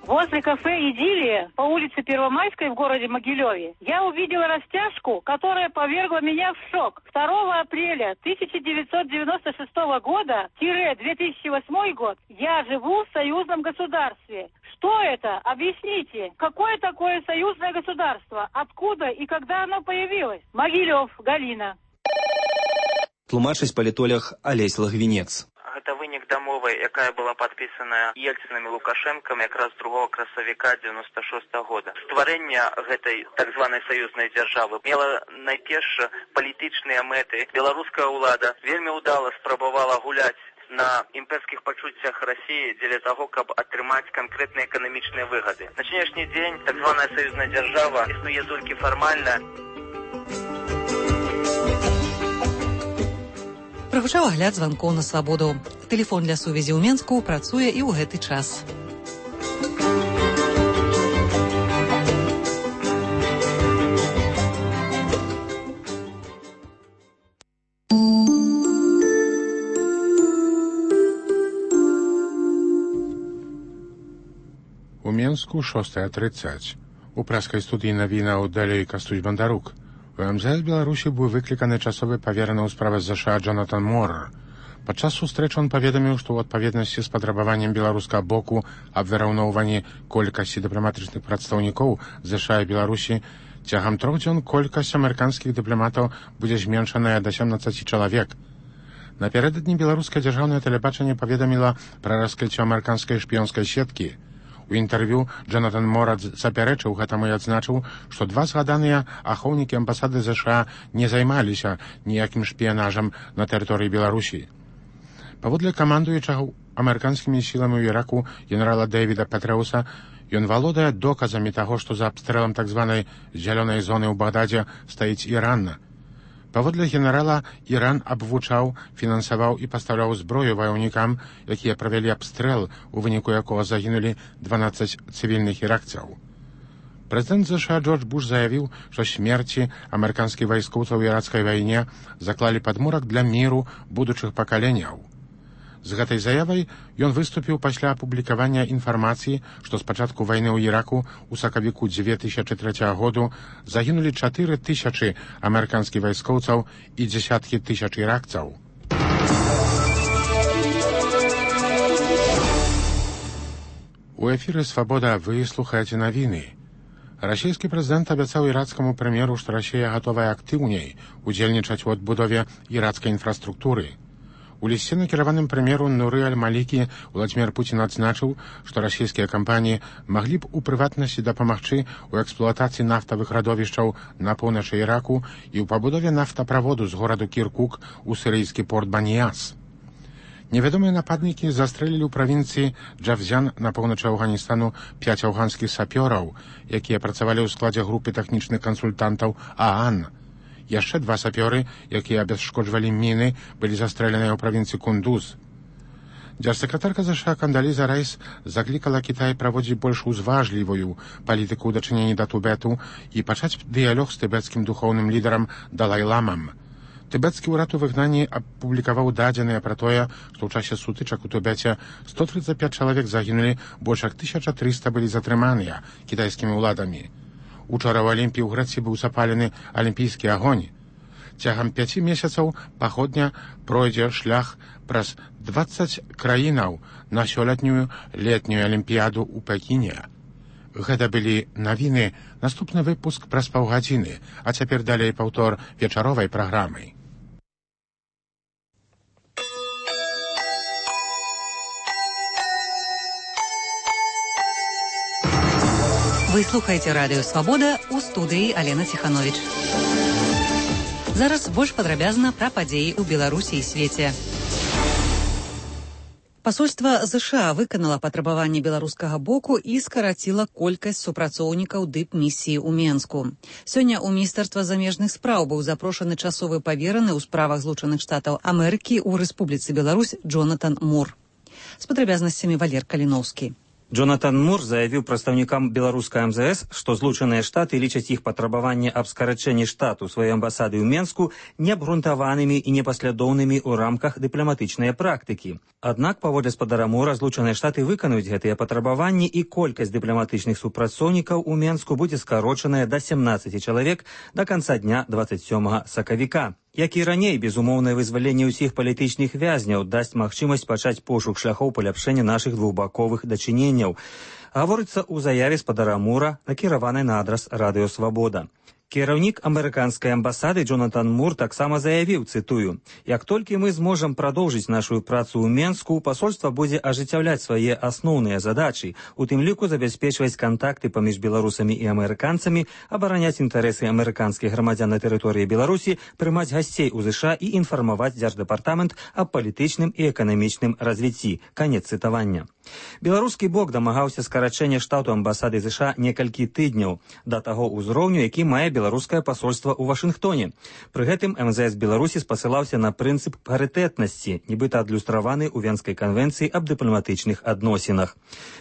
Возле кафе «Идиллия» по улице Первомайской в городе Могилеве я увидела растяжку, которая повергла меня в шок. 2 апреля 1996 года-2008 год я живу в союзном государстве. Кто это? Объясните. Какое такое союзное государство? Откуда и когда оно появилось? Могилев, Галина. Тлумачыць палітолог Алесь Лагвінец. Гэта вынік дамовы, якая была падпісана Ельцінам і Лукашэнкам якраз 2 красавіка 96 года. Стварэнне гэтай так званай саюзнай дзяржавы мела найперш палітычныя мэты. Беларуская ўлада вельмі ўдала спрабавала гуляць на імперскіх пачуццях Расіі дзеля таго, каб атрымаць канкрэтныя эканамічныя выгады. На сённяшні дзень так званая саюзная дзяржава існуе толькі фармальна. Прагучаў агляд званкоў на свабоду. Тэлефон для сувязі ў Менску працуе і ў гэты час. У Менску 6:30. У праскай студыі навінаў далей Кастусь Бандарук. У МЗС Беларусі быў выкліканы часовы павераны ў справах ЗША Джонатан Мур. Падчас сустрэчы ён паведаміў, што ў адпаведнасці з патрабаваннем беларускага боку аб выраўноўванні колькасці дыпламатычных прадстаўнікоў ЗША і Беларусі цягам 3 дзён колькасць амерыканскіх дыпламатаў будзе зменшаная да 17 чалавек. Напярэдадні беларускае дзяржаўнае тэлебачанне паведаміла пра раскрыццё амерыканскай шпіёнскай сеткі. У інтэрв'ю Джонатан Мур запярэчыў гэтаму і адзначыў, што 2 згаданыя ахоўнікі амбасады ЗША не займаліся ніякім шпіянажам на тэрыторыі Беларусі. Паводле камандуючага амерыканскімі сіламі ў Іраку генерала Дэвіда Петрэуса, ён валодае доказамі таго, што за абстрэлам так званай зялёнай зоны ў Багдадзе стаіць Іран. Паводле генерала, Іран абвучаў, фінансаваў і пастаўляў зброю ваяўнікам, якія правялі абстрэл, у выніку якога загінулі 12 цывільных іракцаў. Прэзідэнт ЗША Джордж Буш заявіў, што смерці амерыканскіх вайскоўцаў у іракскай вайне заклалі падмурак для міру будучых пакаленняў. З гэтай заявай ён выступіў пасля апублікавання інфармацыі, што з пачатку вайны ў Іраку у сакавіку 2003 году загінулі 4000 амерыканскіх вайскоўцаў і дзесяткі тысяч іракцаў. У эфіры «Свабода» вы слухаеце навіны. Расійскі прэзідэнт абяцаў іракскаму прэм'еру, што Расія гатовая актыўней удзельнічаць у адбудове іракскай інфраструктуры. У лісце, накіраваным прэм'еру Нуры аль-Малікі, Владзімір Пуцін адзначыў, што расійскія кампаніі маглі б у прыватнасці дапамагчы ў эксплуатацыі нафтавых радовішчаў на поўначы Іраку і ў пабудове нафтаправоду з гораду Кіркук у сірыйскі порт Баніяс. Невядомыя нападнікі застрэлілі ў правінцыі Джавзян на поўначы Афганістану 5 афганскіх сапёраў, якія працавалі ў складзе групы тэхнічных кансультантаў ААН. Яшчэ 2 сапёры, якія абясшкоджвалі міны, былі застрэленыя ў правінцыі Кундуз. Дзяржсакратарка ЗША Кандаліза Райс заклікала Кітай праводзіць больш узважлівую палітыку ў дачыненні да Тыбету і пачаць дыялог з тыбецкім духоўным лідарам Далай-ламам. Тыбецкі ўрад у выгнанні апублікаваў дадзеныя пра тое, што ў часе сутычак у Тыбеце 135 чалавек загінулі, больш як 1300 былі затрыманыя кітайскімі ўладамі. Учора ў Алімпіі ў Грэцыі быў запалены алімпійскі агонь. Цягам 5 месяцаў паходня пройдзе шлях праз 20 краінаў на сёлетнюю летнюю алімпіяду ў Пекіне. Гэта былі навіны, наступны выпуск праз паўгадзіны, а цяпер далей паўтор вечаровай праграмы. Вы слухаеце радыё «Свабода», у студыі Алена Ціхановіч. Зараз больш падрабязна пра падзеі ў Беларусі і свеце. Пасольства ЗША выканала патрабаванні беларускага боку і скараціла колькасць супрацоўнікаў дыпмісіі ў Менску. Сёння ў Міністэрства замежных спраў быў запрошаны часовы павераны ў справах Злучаных Штатаў Амерыкі ў Рэспубліцы Беларусь Джонатан Мур. З падрабязнасцямі Валер Каліноўскі. Джонатан Мур заявіў прадстаўнікам беларускай МЗС, што Злучаныя Штаты лічаць іх патрабаванне аб скарачэнні штату сваёй амбасады ў Менску неабгрунтаванымі і непаслядоўнымі ў рамках дыпламатычнай практыкі. Аднак, паводле спадара Мура, Злучаныя Штаты выканаюць гэтыя патрабаванні і колькасць дыпламатычных супрацоўнікаў у Менску будзе скарочаная да 17 чалавек да канца дня 27 сакавіка. Як і раней, безумоўнае вызваленне ўсіх палітычных вязняў дасць магчымасць пачаць пошук шляхоў паляпшэння нашых двухбаковых дачыненняў. Гаворыцца ў заяве спадара Мура, накіраванай на адрас Радыё Свабода. Кіраўнік амерыканскай амбасады Джонатан Мур таксама заявіў, цытую: «Як толькі мы зможам прадоўжыць нашу працу ў Менску, пасольства будзе ажыццяўляць свае асноўныя задачы, у тым ліку забяспечваць кантакты паміж беларусамі і амерыканцамі, абараняць інтарэсы амерыканскіх грамадзян на тэрыторыі Беларусі, прымаць гасцей у ЗША і інфармаваць Дзярждэпартамент аб палітычным і эканамічным развіцці». Канец цытавання. Беларускі бок дамагаўся скарачэння штату амбасады ЗША некалькі тыдняў да таго ўзроўню, які мае беларускае пасольства ў Вашынгтоне. Пры гэтым МЗС Беларусі спасылаўся на прынцып парытэтнасці, нібыта адлюстраваны ў Венскай канвенцыі аб дыпламатычных адносінах.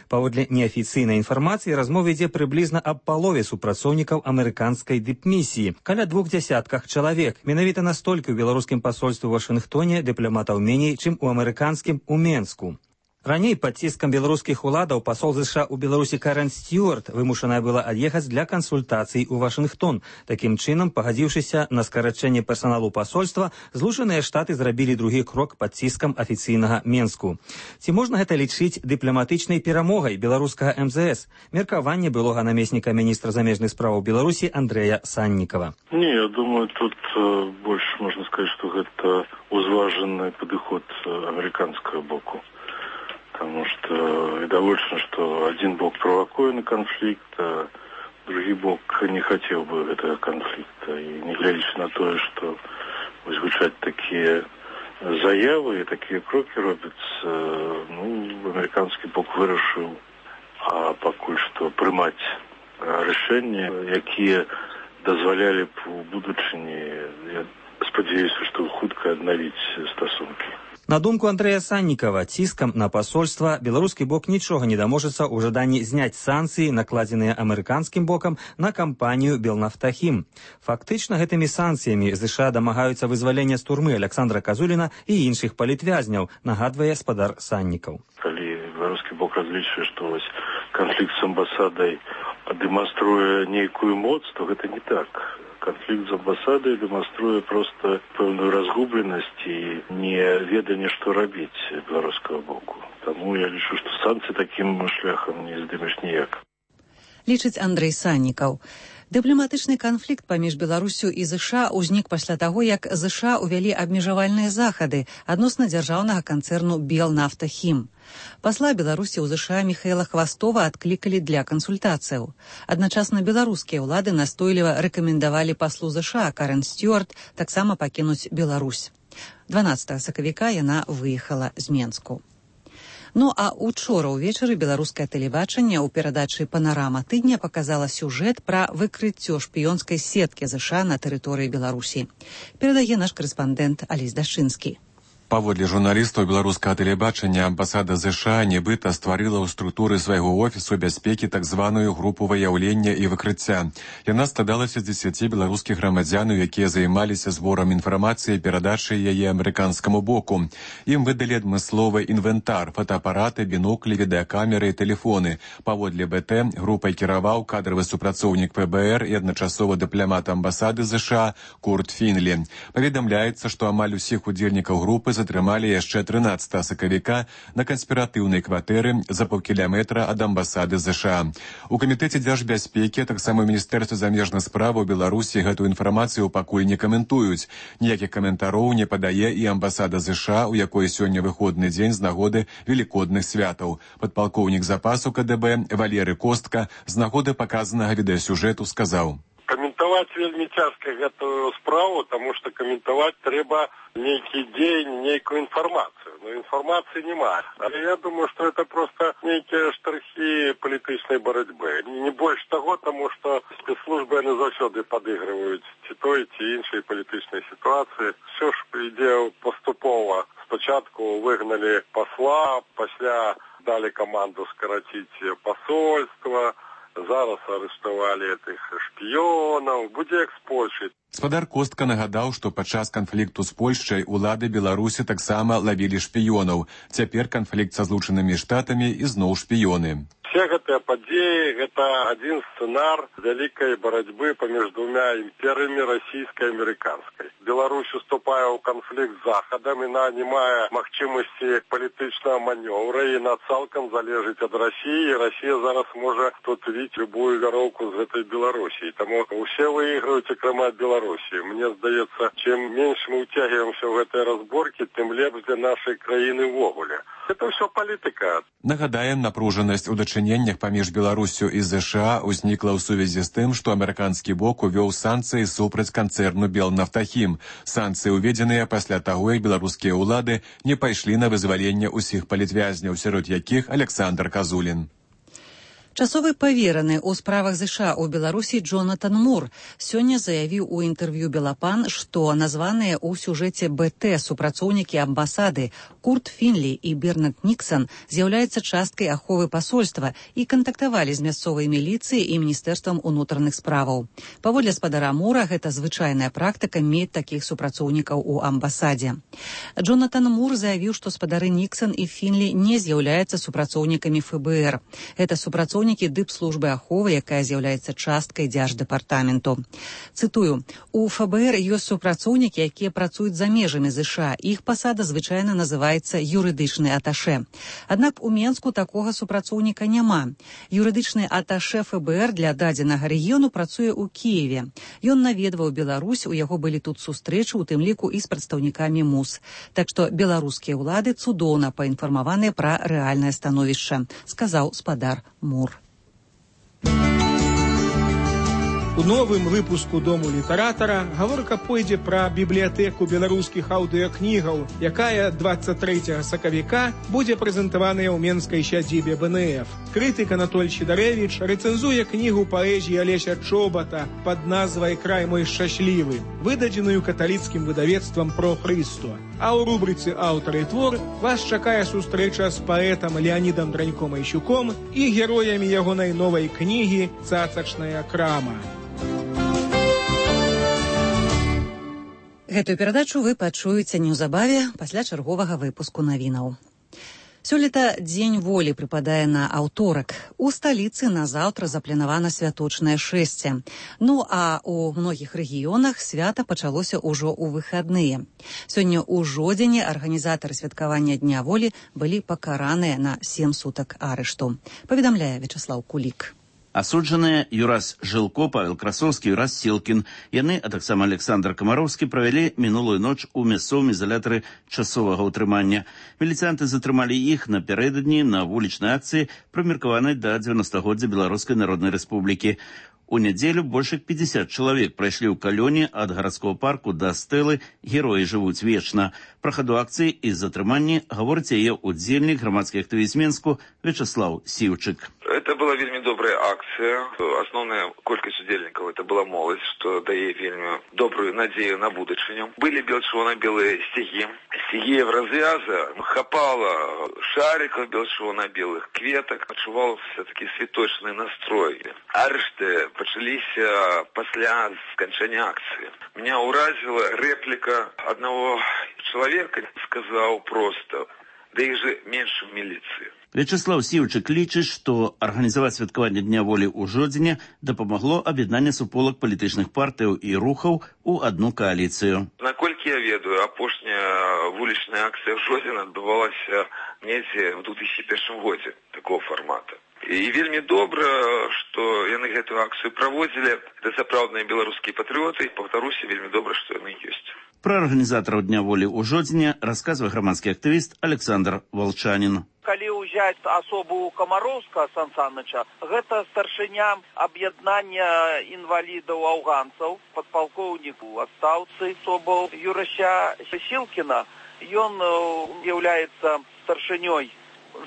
Паводле неафіцыйнай інфармацыі, размова ідзе прыблізна аб палове супрацоўнікаў амерыканскай дыпмісіі, каля 200 чалавек. Менавіта настолькі ў беларускім пасольстве ў Вашынгтоне дыпламатаў меней, чым у амерыканскім у Менску. Раней пад ціскам беларускіх уладаў пасол ЗША ў Беларусі Карен Стюарт вымушаная была ад'ехаць для кансультацый у Вашынгтон. Такім чынам, пагадзіўшыся на скарачэнне персаналу пасольства, Злучаныя Штаты зрабілі другі крок пад ціскам афіцыйнага Менску. Ці можна гэта лічыць дыпламатычнай перамогай беларускага МЗС? Меркаванне былога намесніка міністра замежных справаў Беларусі Андрэя Саннікава. Не, я думаю, тут больше можно сказать, что это узваженный подход американского боку. Потому что довольно, что один бок провокует на конфликт, а другой бок не хотел бы этого конфликта. И не глядя на то, что звучат такие заявы и такие кроки робятся, американский бок вырашил, а пока что приймать решения, которые дозволяли б у будучині, я сподіваюся, что хутка аднавіць стасунки. На думку Андрэя Саннікава, ціскам на пасольства беларускі бок нічога не даможацца ў жаданні зняць санкцыі, накладзеныя амерыканскім бокам на кампанію «Белнафтахім». Фактычна гэтымі санкцыямі ЗША дамагаюцца вызвалення з турмы Александра Казуліна і іншых палітвязняў, нагадвае спадар Саннікаў. Калі беларускі бок разлічвае, што канфлікт з амбасадай дэманструе нейкую моц, то гэта не так. Конфликт с амбассадой демонструет просто певную разгубленность и неведение, что робить белорусского боку. Тому я лишу, что санкции таким шляхом не здымеш ніяк. Лічыць Андрэй Саннікаў. Дыпламатычны канфлікт паміж Беларусю і ЗША ўзнік пасля таго, як ЗША ўвялі абмежавальныя захады адносна дзяржаўнага канцэрну «Белнафтахім». Пасла Беларусі ў ЗША Міхаіла Хвастова адклікалі для кансультацыяў. Адначасна беларускія ўлады настойліва рэкамендавалі паслу ЗША Карен Стюарт таксама пакінуць Беларусь. 12 сакавіка яна выехала з Менску. Ну а учора ўвечары беларускае тэлебачанне ў перадачы «Панарама тыдня» паказала сюжэт пра выкрыццё шпіёнскай сеткі ЗША на тэрыторыі Беларусі. Перадае наш карэспандэнт Алесь Дашчынскі. Паводле журналістаў беларускага тэлебачання, амбасада ЗША нібыта стварыла ў структуры свайго офісу бяспекі так званую групу выяўлення і выкрыцця. Яна складалася з 10 беларускіх грамадзянаў, якія займаліся зборам інфармацыі і перадачай яе амерыканскаму боку. Ім выдалі адмысловы інвентар, фотоапараты, біноклі, відэакамеры і тэлефоны. Паводле БТ групай кіраваў кадравы супрацоўнік ПБР і адначасова дыпламат амбасады ЗША Курт Фінлі. Паведамляецца, што амаль усіх удзельнікаў групы затрымалі яшчэ 13 сакавіка на канспіратыўнай кватэры за паўкіляметра ад амбасады ЗША. У камітэце дзяржбяспекі, таксама ў Міністэрстве замежных справаў Беларусі гэтую інфармацыю пакуль не каментуюць. Ніякіх каментароў не падае і амбасада ЗША, у якой сёння выходны дзень з нагоды велікодных святаў. Падпалкоўнік запасу КДБ Валерый Костка з нагоды паказанага відэасюжэту сказаў: Каментаваць вельмі цяжка гэтую справу, таму што каментаваць трэба нейкі дзень, нейкую інфармацыю. Но інфармацыі няма. Але я думаю, што это просто нейкія штрыхі палітычнай барацьбы. Не больш таго, таму што спецслужбы яны заўсёды падыгрываюць ці той, ці іншай палітычнай сітуацыі. Все ж ідзе паступова. Спачатку выгналі пасла, пасля далі каманду скараціць пасольства, зараз арыштавалі гэтых шпіёнаў, будзе як з Польшай. Спадар Костка нагадаў, што падчас канфлікту з Польшчай улады Беларусі таксама лавілі шпіёнаў. Цяпер канфлікт са Злучанымі Штатамі і зноў шпіёны. Все гэтыя падзеі – это один сценар великой борьбы помеж двумя империями, российской и американской. Беларусь уступая в конфликт с Заходом, и не мае магчымасці палітычнага маневра, и на цалкам залежыць от России, и Россия зараз может тут видеть любую вяроўку з этой Белоруссии. Тому все выигрывают, кроме от Белоруссии. Мне здаецца, чем меньше мы утягиваемся в этой разборке, тем лепш для нашей краіны ввогуле. Это все политика. Нагадаем, напружанасць у дачыненнях паміж Беларусю і ЗША ўзнікла ў сувязі з тым, што амерыканскі бок увёў санкцыі супраць канцэрну «Белнафтахім». Санкцыі ўведзеныя пасля таго, як беларускія ўлады не пайшлі на вызваленне ўсіх палітвязняў, сярод якіх Александр Казулін. Часовы павераны ў справах ЗША ў Беларусі Джонатан Мур сёння заявіў у інтэрв'ю «Белапан», што названыя ў сюжэце БТ супрацоўнікі амбасады Курт Фінлі і Бернард Ніксан з'яўляюцца часткай аховы пасольства і кантактавалі з мясцовай міліцыяй і міністэрствам унутраных справаў. Паводле спадара Мура, гэта звычайная практыка мець такіх супрацоўнікаў у амбасадзе. Джонатан Мур заявіў, што спадары Ніксан і Фінлі не з'яўляюцца супрацоўнікамі ФБР. Гэта супрацоўнікі дыпслужбы аховы, якая з'яўляецца часткай дзярждэпартаменту. Цытую: «У ФБР ёсць супрацоўнікі, якія працуюць за межамі ЗША. Іх пасада звычайна называецца юрыдычны аташэ. Аднак у Менску такога супрацоўніка няма. Юрыдычны аташэ ФБР для дадзенага рэгіёну працуе ў Кіеве. Ён наведваў Беларусь, у яго былі тут сустрэчы, у тым ліку і з прадстаўнікамі МУС. Так што беларускія ўлады цудоўна паінфармаваныя пра рэальнае становішча», сказаў спадар Мур. У новым выпуску «Дому літаратара» гаворка пойдзе пра бібліятэку беларускіх аўдыакнігаў, якая 23 сакавіка будзе прэзентаваная ў менскай сядзібе БНФ. Крытык Анатоль Сідарэвіч рэцэнзуе кнігу паэзіі Алеся Чобата пад назвай «Край мой шчаслівы», выдадзеную каталіцкім выдавецтвам «Про Христо». А ў рубрыцы «Аўтар і твор» вас чакае сустрэча з паэтам Леанідам Драньком-Айщуком і героямі ягонай новай кнігі «Цацачная крама». Гэтую перадачу вы пачуеце неўзабаве пасля чарговага выпуску навінаў. Сёлета Дзень волі прыпадае на аўторак. У сталіцы назаўтра запланавана святочнае шэсце. Ну а у многіх рэгіёнах свята пачалося ўжо ў выхадныя. Сёння ў Жодзіне арганізатары святкавання Дня волі былі пакараныя на 7 сутак арышту. Паведамляе Вячаслаў Кулік. Асуджаныя Юрас Жылко, Павел Красовскі, Юрас Сілкін. Яны, а таксама Александр Камароўскі, правялі мінулую ноч у мясцовым ізалятары часовага ўтрымання. Міліцыянты затрымалі іх напярэдадні на вулічнай акцыі, прымеркаванай да 90-годдзя Беларускай Народнай Рэспублікі. У нядзелю больш як 50 чалавек прайшлі ў калёне ад гарадского парку да стэлы «Героі жывуць вечна». Пра хаду акцыі і затрыманні гаворыць яе удзельнік, грамадскі актывіст Менску Вячаслаў Сіўчык. Это была вельмі добрая акция. Основная колькасць удзельнікаў это была моладзь, што дае вельмі добрую надзею на будучыню. Былі белчырвона-белыя сцягі. Сцягі в развяза хапала шариков белчырвона-белых кветак. Адчуваўся такі святочны настрой. Арышты пачаліся пасля сканчэння акцыі. Меня уразила реплика одного человека, сказал просто: «Да их же меньше в милиции». Вячаслаў Сіўчык лічыць, што арганізаваць святкаванне Дня волі ў Жодзіне дапамагло аб'яднанне суполак палітычных партыяў і рухаў у адну кааліцыю. Наколькі я ведаю, апошняя вулічная акцыя в Жодзіне адбывалася недзе ў 2001 годзе такого формата. І вельмі добра, што яны гэтую акцыю праводзілі. Это сапраўдныя беларускія патрыоты, і паўтаруся, вельмі добра, што яны ёсць. Пра арганізатараў Дня волі ў Жодзіне расказвае грамадскі актывіст Александр Волчанін. Калі ўзяць асобу Камароўска Сан Саныча, гэта старшыня аб'яднання інвалідаў-аўганцаў, падпалкоўнік у адстаўцы особаў Юрася Сілкіна. Ён з'яўляецца старшынёй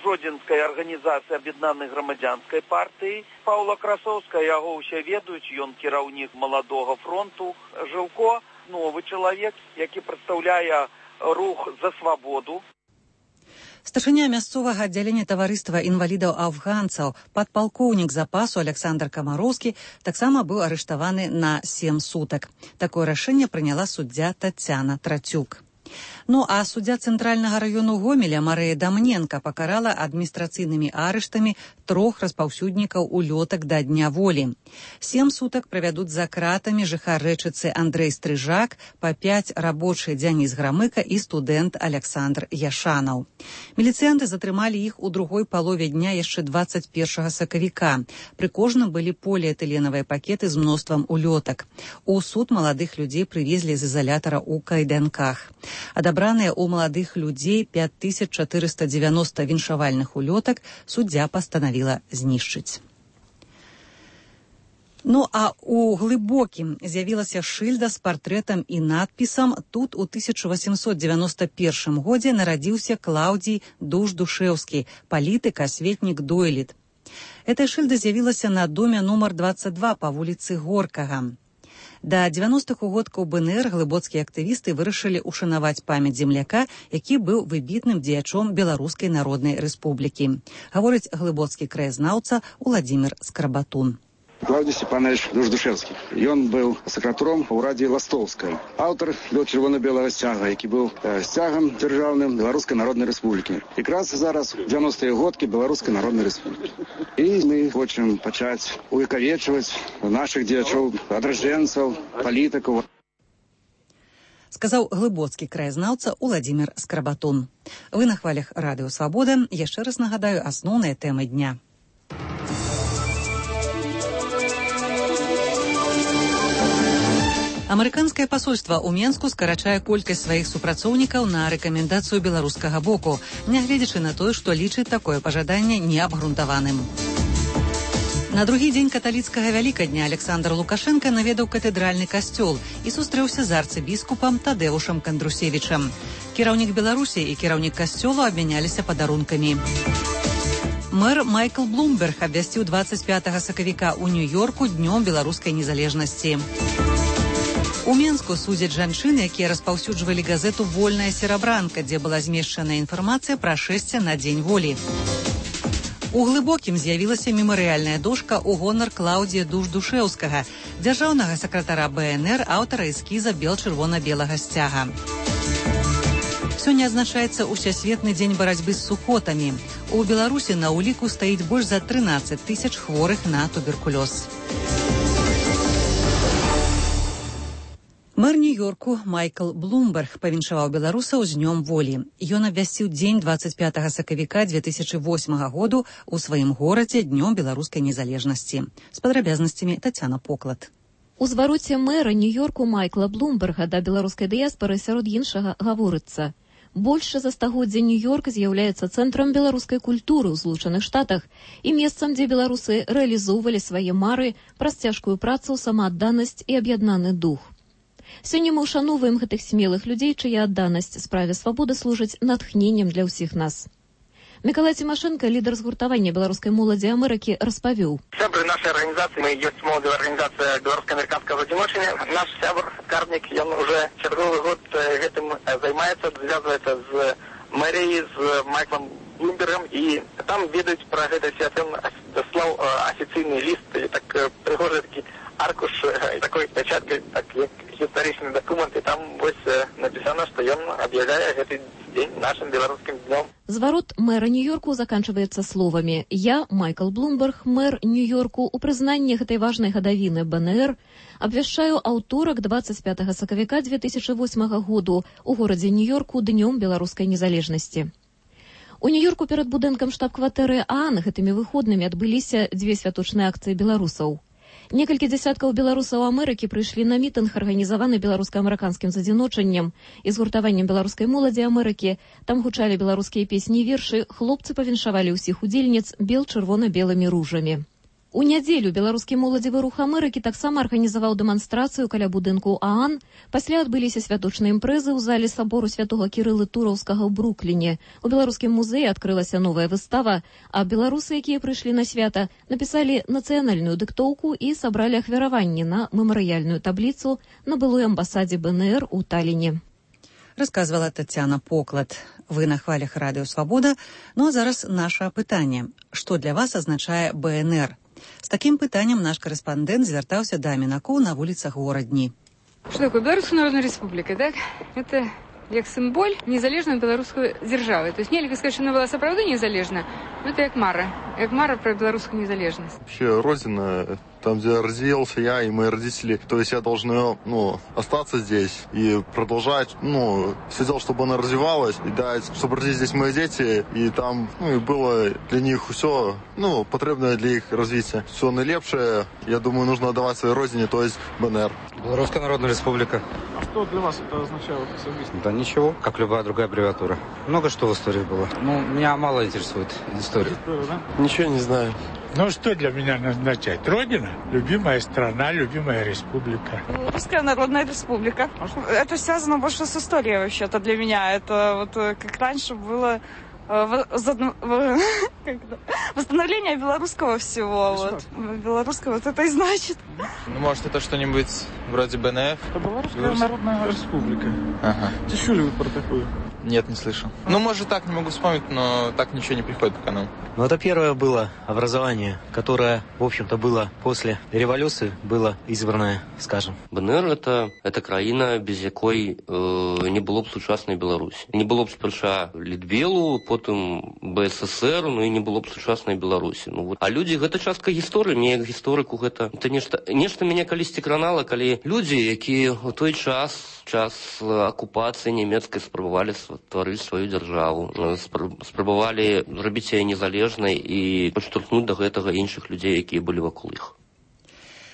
Жодзінскай арганізацыі аб'яднанай грамадзянскай партыі. Паўла Красовска, яго ўсе ведаюць, ён кіраўнік маладога фронту. Жылко – новы чалавек, які прадстаўляе рух за свабоду. Старшыня мясцовага аддзялення таварыства інвалідаў-афганцаў, падпалкоўнік запасу Александр Камароўскі таксама быў арыштаваны на 7 сутак. Такое рашэнне прыняла суддзя Тацяна Трацюк. Ну а суддзя Цэнтральнага раёну Гомеля Марыя Дамненка пакарала адміністрацыйнымі арыштамі 3 распаўсюднікаў улётак да Дня волі. 7 сутак правядуць за кратамі жыхар Рэчыцы Андрэй Стрыжак, па 5 рабочы Дзяніс Грамыка і студэнт Аляксандр Яшанаў. Міліцыянты затрымалі іх у другой палове дня яшчэ 21 сакавіка. Пры кожным былі поліэтыленавыя пакеты з мноствам улётак. У суд маладых людзей прывезлі з изолятора у кайданках. Адабраныя ў маладых людзей 5490 віншавальных улётак суддзя пастанавіла знішчыць. Ну а у Глыбокім з'явілася шыльда з партрэтам і надпісам «Тут у 1891 годзе нарадзіўся Клаўдзій Душ-Душэўскі, палітык, асветнік, дойлід». Эта шыльда з'явілася на доме нумар 22 па вуліцы Горкага. Да 90-х угодкаў БНР глыбоцкія актывісты вырашылі ушанаваць памяць земляка, які быў выбітным дзеячом Беларускай Народнай Рэспублікі. Гаворыць глыбоцкі краязнаўца Уладзімір Скрабатун. Клаўдзій Сцепанович Душ-Душэўскі. Ён быў сакратаром у ўрадзе Ластовскай. Аўтар бел чырвона-белага сцяга, які быў сцягам дзяржаўным Беларускай Народнай Рэспублікі. Якраз зараз 90-е годкі Беларускай Народнай Рэспублікі. І мы хочам пачаць увекавечваць нашых дзеячоў, адраджэнцаў, палітыкаў. Сказаў глыбоцкі краязнаўца Уладзімір Скрабатун. Вы на хвалях Радыё Свабода. Яшчэ раз нагадаю асноўныя тэмы дня. Амерыканскае пасольства ў Менску скарачае колькасць сваіх супрацоўнікаў на рэкамендацыю беларускага боку, нягледзячы на тое, што лічыць такое пажаданне неабгрунтаваным. На другі дзень каталіцкага вялікадня Александр Лукашенко наведаў катэдральны касцёл і сустрэўся з арцыбіскупам Тадэушам Кандрусевічам. Кіраўнік Беларусі і кіраўнік касцёлу абмяняліся падарункамі. Мэр Майкл Блумберг абвясціў 25 сакавіка ў Нью-Йорку днём беларускай незалежнасці. У Менску судзяць жанчын, якія распаўсюджвалі газету «Вольная серабранка», дзе была змешчана інфармацыя пра шэсце на Дзень волі. У Глыбокім з'явілася мемарыяльная дошка ў гонар Клаўдзія Душ-Душэўскага, дзяржаўнага сакратара БНР, аўтара эскіза бел-чырвона-белага сцяга. Сёння адзначаецца Усесветны дзень барацьбы з сухотамі. У Беларусі на ўліку стаіць больш за 13 000 хворых на туберкулёз. Мэр Нью-Йорку Майкл Блумберг павіншаваў беларусаў з днём волі. Ён абвясціў дзень 25 сакавіка 2008 году ў сваім горадзе днём беларускай незалежнасці. З падрабязнасцямі Тацяна Поклад. У звароце мэра Нью-Йорку Майкла Блумберга да беларускай дыяспары сярод іншага гаворыцца: больш за стагоддзя Нью-Йорк з'яўляецца цэнтрам беларускай культуры ў Злучаных Штатах і месцам, дзе беларусы рэалізоўвалі свае мары праз цяжкую працу, самаадданасць і аб'яднаны дух. Сёння мы ўшаноўваем гэтых смелых людзей, чыя адданасць справе свабоды служыць натхненнем для ўсіх нас. Мікалай Цімашэнка, лідар згуртавання беларускай моладзі Амерыкі, распавёў. Сябры нашай арганізацыі, мы ёсць моладзевая арганізацыя беларуска-амерыканскага адзіночання. Наш сябр, скарбнік, ён уже чарговы год гэтым займаецца, звязваецца з мэріяй, з Майклом Блумбергом, і там ведаюць пра гэта свята. Ён даслаў афіцыйны ліст, так прыгожы такі аркуш такой пячаткай, так як гістарычны дакумент, і там вось напісана, што ён аб'яўляе гэты дзень нашым беларускім днём. Зварот мэра Нью-Йорку заканчваецца словамі: «Я, Майкл Блумберг, мэр Нью-Йорку, у прызнанні гэтай важнай гадавіны БНР абвяшчаю аўторак 25 сакавіка 2008 году у горадзе Нью-Йорку днём беларускай незалежнасці». У Нью-Йорку перад будынкам штаб-кватэры ААН гэтымі выходнымі адбыліся дзве святочныя акцыі беларусаў. Некалькі дзясяткаў беларусаў Амерыкі прыйшлі на мітынг, арганізаваны беларуска-амерыканскім задзіночаннем і згуртаваннем беларускай моладзі Амерыкі. Там гучалі беларускія песні і вершы, хлопцы павіншавалі ўсіх удзельніц бел-чырвона-белымі ружамі. У нядзелю беларускі моладзевы рух Амерыкі таксама арганізаваў дэманстрацыю каля будынку ААН. Пасля адбыліся святочныя імпрэзы ў залі сабору святога Кірылы Тураўскага ў Брукліне. У беларускім музеі адкрылася новая выстава, а беларусы, якія прыйшлі на свята, напісалі нацыянальную дыктоўку і сабралі ахвяраванні на мемарыяльную табліцу на былой амбасадзе БНР у Таліне. Расказвала Тацяна Поклад. Вы на хвалях Радыё Свабода. Ну а зараз наше пытанне. Што для вас азначае БНР? З такім пытаннем наш корэспандэнт звяртаўся да мінакоў на вуліцах горадні. Что такое Белорусская Народная Республика, так? Это як символь незалежной белорусской державы. То есть нельзя сказать, что она была сапраўды незалежна, но это як мара. як мара про беларускую незалежность. Вообще, родина, там, где родился я и мои родители, то есть я должен, остаться здесь и продолжать, все делать, чтобы она развивалась, и дать, чтобы родились здесь мои дети, и там, и было для них все, потребное для их развития. Все наилепшее, я думаю, нужно отдавать своей родине, то есть БНР. Белорусская Народная Республика. А что для вас это означало особенно? Да ничего, как любая другая аббревиатура. Много что в истории было. Меня мало интересует история. Ничего не знаю. Что для меня означает? Родина, любимая страна, любимая республика. Русская Народная Республика. Это связано больше с историей вообще-то для меня. Это вот как раньше было восстановление белорусского всего. Белорусского вот это и значит. Может, это что-нибудь вроде БНФ? Это Белорусская Народная Республика. Ага. Ты слышали вы про такую? Нет, не слышал. Может, так, не могу вспомнить, но так ничего не приходит пока нам. Это первое было образование, которое, в общем-то, было после революции, было избранное, скажем. БНР – это краіна, без якой не было б сучасной Беларусі. Не было б спярша Літвелу, потым БССР, і не было б сучасной Беларусі. А людзі, гэта частка гісторыі, мне як гісторыку гэта нешта мяне калісьці кранала, калі людзі, якія ў той час акупацыі нямецкай спрабавалі стварыць сваю дзяржаву, спрабавалі зрабіць яе незалежнай і падштурхнуць да гэтага іншых людзей, якія былі вакол іх.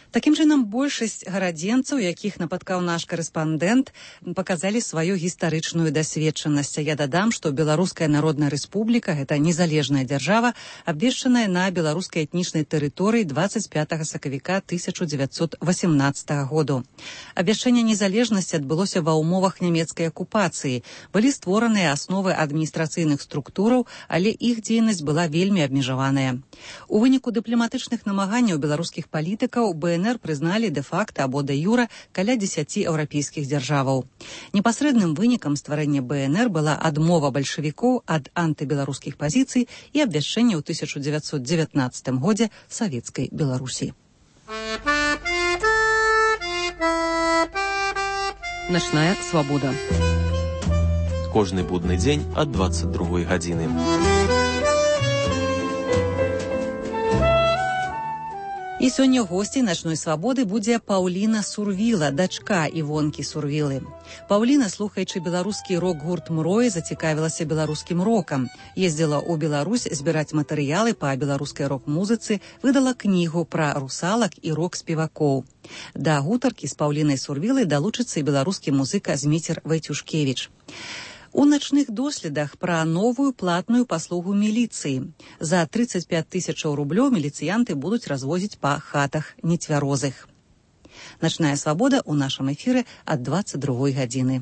Такім чынам, большасць гарадзенцаў, якіх напаткаў наш карэспандэнт, паказалі сваю гістарычную дасведчанасць. Я дадам, што Беларуская Народная Рэспубліка – гэта незалежная дзяржава, абвешчаная на беларускай этнічнай тэрыторыі 25 сакавіка 1918 году. Абвяшчэнне незалежнасці адбылося ва ўмовах нямецкай акупацыі. Былі створаныя асновы адміністрацыйных структураў, але іх дзейнасць была вельмі абмежаваная. У выніку дыпламатычных намаганняў беларускіх палітыкаў БНР прызналі дэ-факта або дэ-юра каля 10 еўрапейскіх дзяржаваў. Непасрэдным вынікам стварэння БНР была адмова бальшавікоў ад антыбеларускіх пазіцый і абвяшчэнне ў 1919 годзе савецкай Беларусі. Начная свабода. Кожны будны дзень ад 22 гадзіны. І сёння госцей начной свабоды будзе Паўліна Сурвіла, дачка Івонкі Сурвілы. Паўліна, слухаючы беларускі рок-гурт «Мроі», зацікавілася беларускім рокам. Ездзіла ў Беларусь збіраць матэрыялы па беларускай рок-музыцы, выдала кнігу пра русалак і рок-спевакоў. Да гутаркі з Паўлінай Сурвілай далучыцца і беларускі музыка Зміцер Вайцюшкевіч. У начных доследах пра новую платную паслугу міліцыі. За 35 000 рублёў міліцыянты будуць развозіць па хатах нецвярозых. Начная свабода ў нашым эфіры ад 22 гадзіны.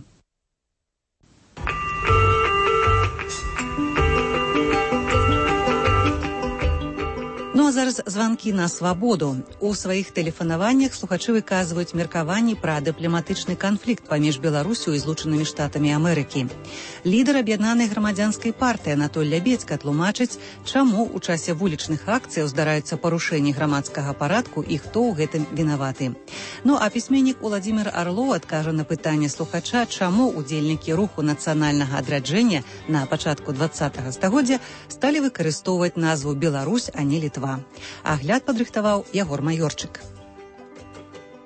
А зараз званкі на свабоду. У сваіх тэлефанаваннях слухачы выказваюць меркаванні пра дыпламатычны канфлікт паміж Беларусю і Злучанымі Штатамі Амерыкі. Лідар аб'яднанай грамадзянскай партыі Анатоль Лябецька тлумачыць, чаму ў часе вулічных акцыяў здараюцца парушэнні грамадскага парадку і хто ў гэтым вінаваты. А пісьменнік Уладзімір Арлоў адкажа на пытанне слухача, чаму удзельнікі руху нацыянальнага адраджэння на пачатку 20-го стагоддзя сталі выкарыстоўваць назву Беларусь, а не Літва. Агляд падрыхтаваў Ягор Майорчык.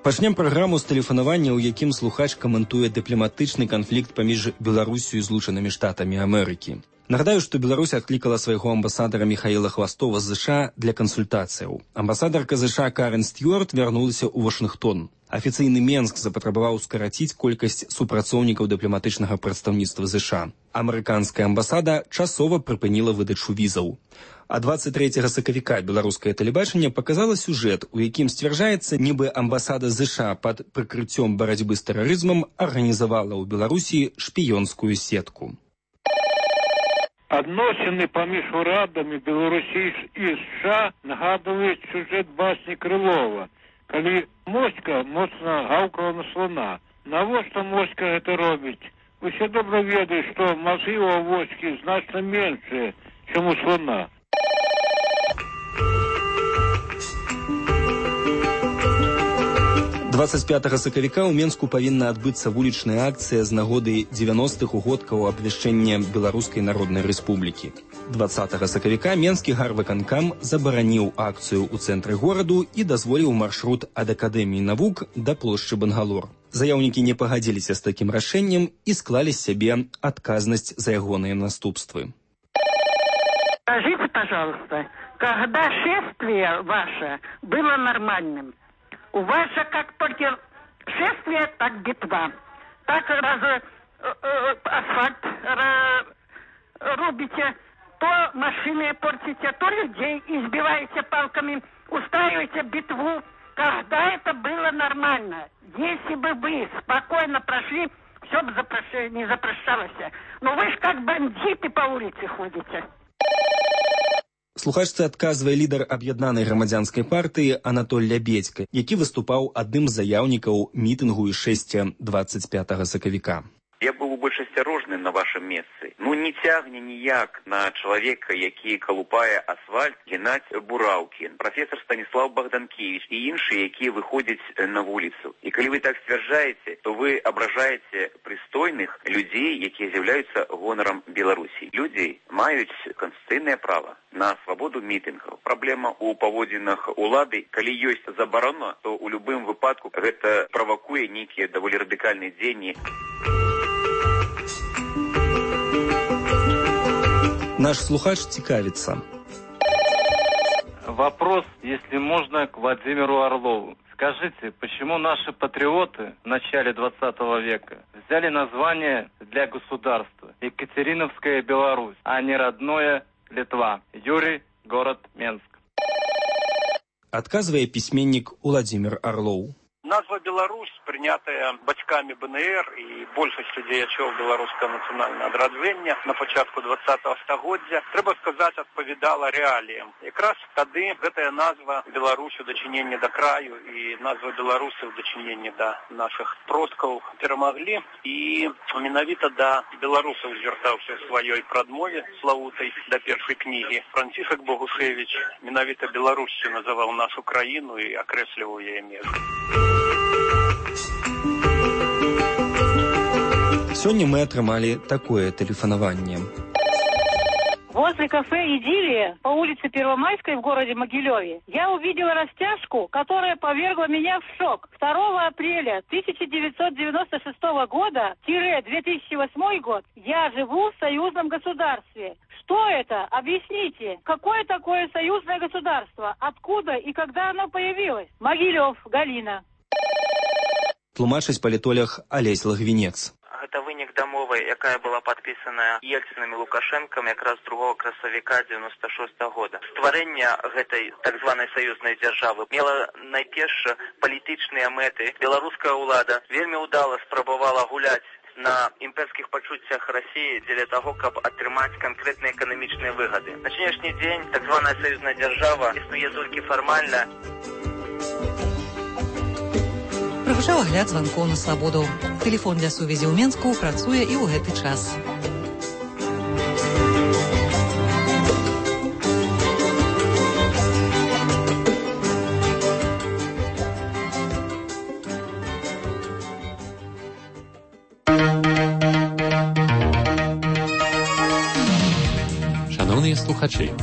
Пачнем праграму з тэлефанавання, у якім слухач каментуе дыпламатычны канфлікт паміж Беларусю і Злучанымі Штатамі Амерыкі. Нагадаю, што Беларусь адклікала свайго амбасадара Михаіла Хвастова з ЗША для кансультацыяў. Амбасадарка ЗША Карен Стюарт вярнулася ў Вашынгтон. Афіцыйны Менск запатрабаваў скараціць колькасць супрацоўнікаў дыпламатычнага прадстаўніцтва ЗША. Амерыканская амбасада часова прыпыніла выдачу візаў. А 23 сакавіка беларускае тэлебачанне паказала сюжэт, у якім сцвярджаецца, нібы амбасада ЗША пад прыкрыццём барацьбы з тэрарызмам арганізавала ў Беларусі шпіёнскую сетку. Адносіны паміж урадамі Беларусі і США нагадваюць сюжэт басні Крылова, калі моська моцна гаўкала на слона. Навошта моська гэта робіць? Усе добра ведаюць, што мазгі ў авочкі значна меншыя, чым у слона. 25 сакавіка ў Менску павінна адбыцца вулічная акцыя з нагоды 90-х угодкаў абвяшчэння Беларускай Народнай Рэспублікі. 20 сакавіка Менскі гарвыканкам забараніў акцыю ў цэнтры гораду і дазволіў маршрут ад Акадэміі навук да плошчы Бангалор. Заяўнікі не пагадзіліся з такім рашэннем і склалі з сябе адказнасць за ягоныя наступствы. Скажите, пожалуйста, когда шествие ваше было нормальным? У вас же как только шествие, так битва. Так асфальт рубите, то машины портите, то людей избиваете палками, устраиваете битву. Когда это было нормально? Если бы вы спокойно прошли, все бы не запрещалось. Но вы же как бандиты по улице ходите. Слухачцы адказвае лідар аб'яднанай грамадзянскай партыі Анатоль Лябедзька, які выступаў адным з заяўнікаў мітынгу і шэсця 25 сакавіка. Я был бы больш асцярожны на вашем месцы. Ну, не цягне ніяк на чалавека, які калупае асфальт, генаць бураўкі. Прафесор Станіслав Богданкевич і іншыя, якія выходзяць на вуліцу. І калі вы так сцвярджаеце, то вы абражаеце прыстойных людзей, якія з'яўляюцца гонарам Беларусі. Людзі маюць канстытуцыйнае права на свабоду мітынгаў. Праблема ў паводзінах улады, калі ёсць забарона, то ў любым выпадку гэта правакуе нейкія даволі радыкальныя дзеянні. Наш слухач цікавится. Вопрос, если можно, к Владимиру Орлову. Скажите, почему наши патриоты в начале 20 века взяли название для государства Екатериновская Беларусь, а не родное Литва? Юрий, город Менск. Отказывая письменник Владимир Орлов. Назва Беларусь, прийнятая батьками БНР і большасцю дзеячоў беларускага нацыянальнага адраджэння на пачатку 20-го стагоддзя, трэба сказаць, адпавядала рэаліям. Якраз тады гэтая назва Беларусь у дачыненні да краю і назва Беларусі ў дачыненні да нашых продкаў перамаглі, і менавіта да беларусаў звяртаўся ў сваёй прадмове славутай да першай кнігі. Францішак Богушевіч менавіта Беларусю называў нашу краіну і акрэсліваў яе межы. Сегодня мы отрымали такое телефонование. Возле кафе «Идиллия» по улице Первомайской в городе Могилеве я увидела растяжку, которая повергла меня в шок. 2 апреля 1996 года – 2008 год я живу в союзном государстве. Что это? Объясните. Какое такое союзное государство? Откуда и когда оно появилось? Могилев, Галина. Тлумачыць палітолог Алесь Лагвінец. Гэта вынік дамовы, якая была падпісаная Ельцінам і Лукашэнкам якраз 2 красавіка 96 года. Стварэнне гэтай так званай саюзнай дзяржавы мела найперш палітычныя мэты. Беларуская ўлада вельмі ўдала спрабавала гуляць на імперскіх пачуццях Расіі дзеля таго, каб атрымаць канкрэтныя эканамічныя выгады. На сённяшні дзень так званая саюзная дзяржава існуе толькі фармальна. Прагучаў агляд званкоў на свабоду. Тэлефон для сувязі ў Менску працуе і ў гэты час. Шановныя слухачы,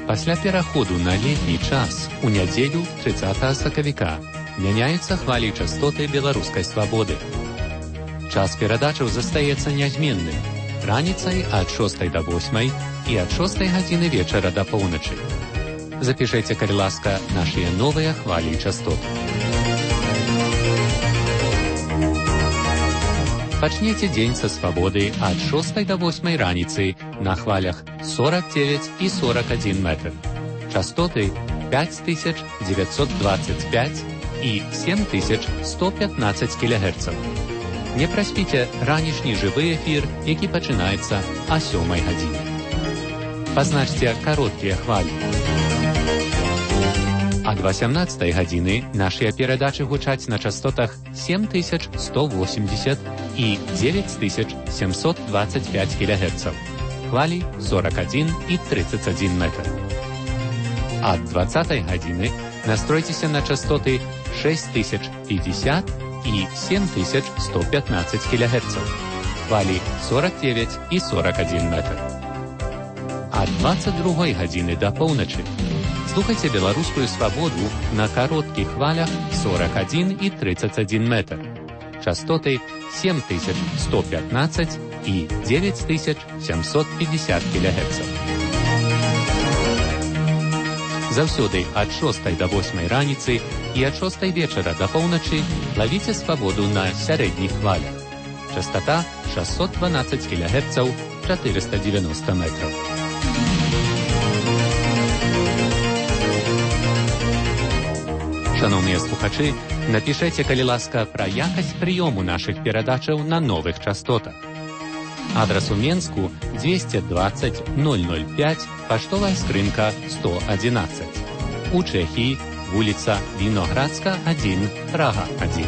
пасля пераходу на летні час у нядзелю 30 сакавіка мяняюцца хвалі частоты беларускай свабоды. Час перадачаў застаецца нязменным. Раніцай ад 6 до 8 і ад 6 гадзіны вечара да поўначы. Запішайце, калі ласка, нашыя новыя хвалі частот. Пачнеце дзень са свабоды ад 6 до 8 раніцы на хвалях 49 і 41 метр. Частоты 5925 і 7115 кГц. Не праспіце ранішні жывы эфір, які пачынаецца о 7 гадзіне. Пазначце кароткія хвалі. Ад 18 гадзіны нашыя перадачы гучаць на частотах 7180 і 9725 кГц. Хвалі 41 і 31 метр. Ад 20 гадзіны настройцеся на частоты 6050 и 7115 кГц. Хвалі 49 і 41 метр. А 22 гадзіны да поўначы слухайце беларускую свабоду на кароткіх хвалях 41 і 31 метр. Частоты 7115 і 9750 кГц. Заўсёды ад 6 до 8 раніцы і ад 6 вечара да поўначы лавіце свабоду на сярэдніх хвалях. Частота 612 кГц, 490 метров. Шановныя слухачы, напішэце, калі ласка, пра якасць прыёму нашых перадачаў на новых частотах. Адрас у Менску 220 005, паштовая скрынка 111. У Чэхіі вуліца Віноградска, 1, Прага, 1.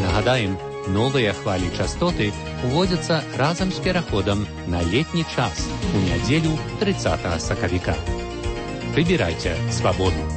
Нагадаем, новыя хвалі частоты уводзяцца разам з пераходам на летні час у нядзелю 30 сакавіка. Выбирайте свободу.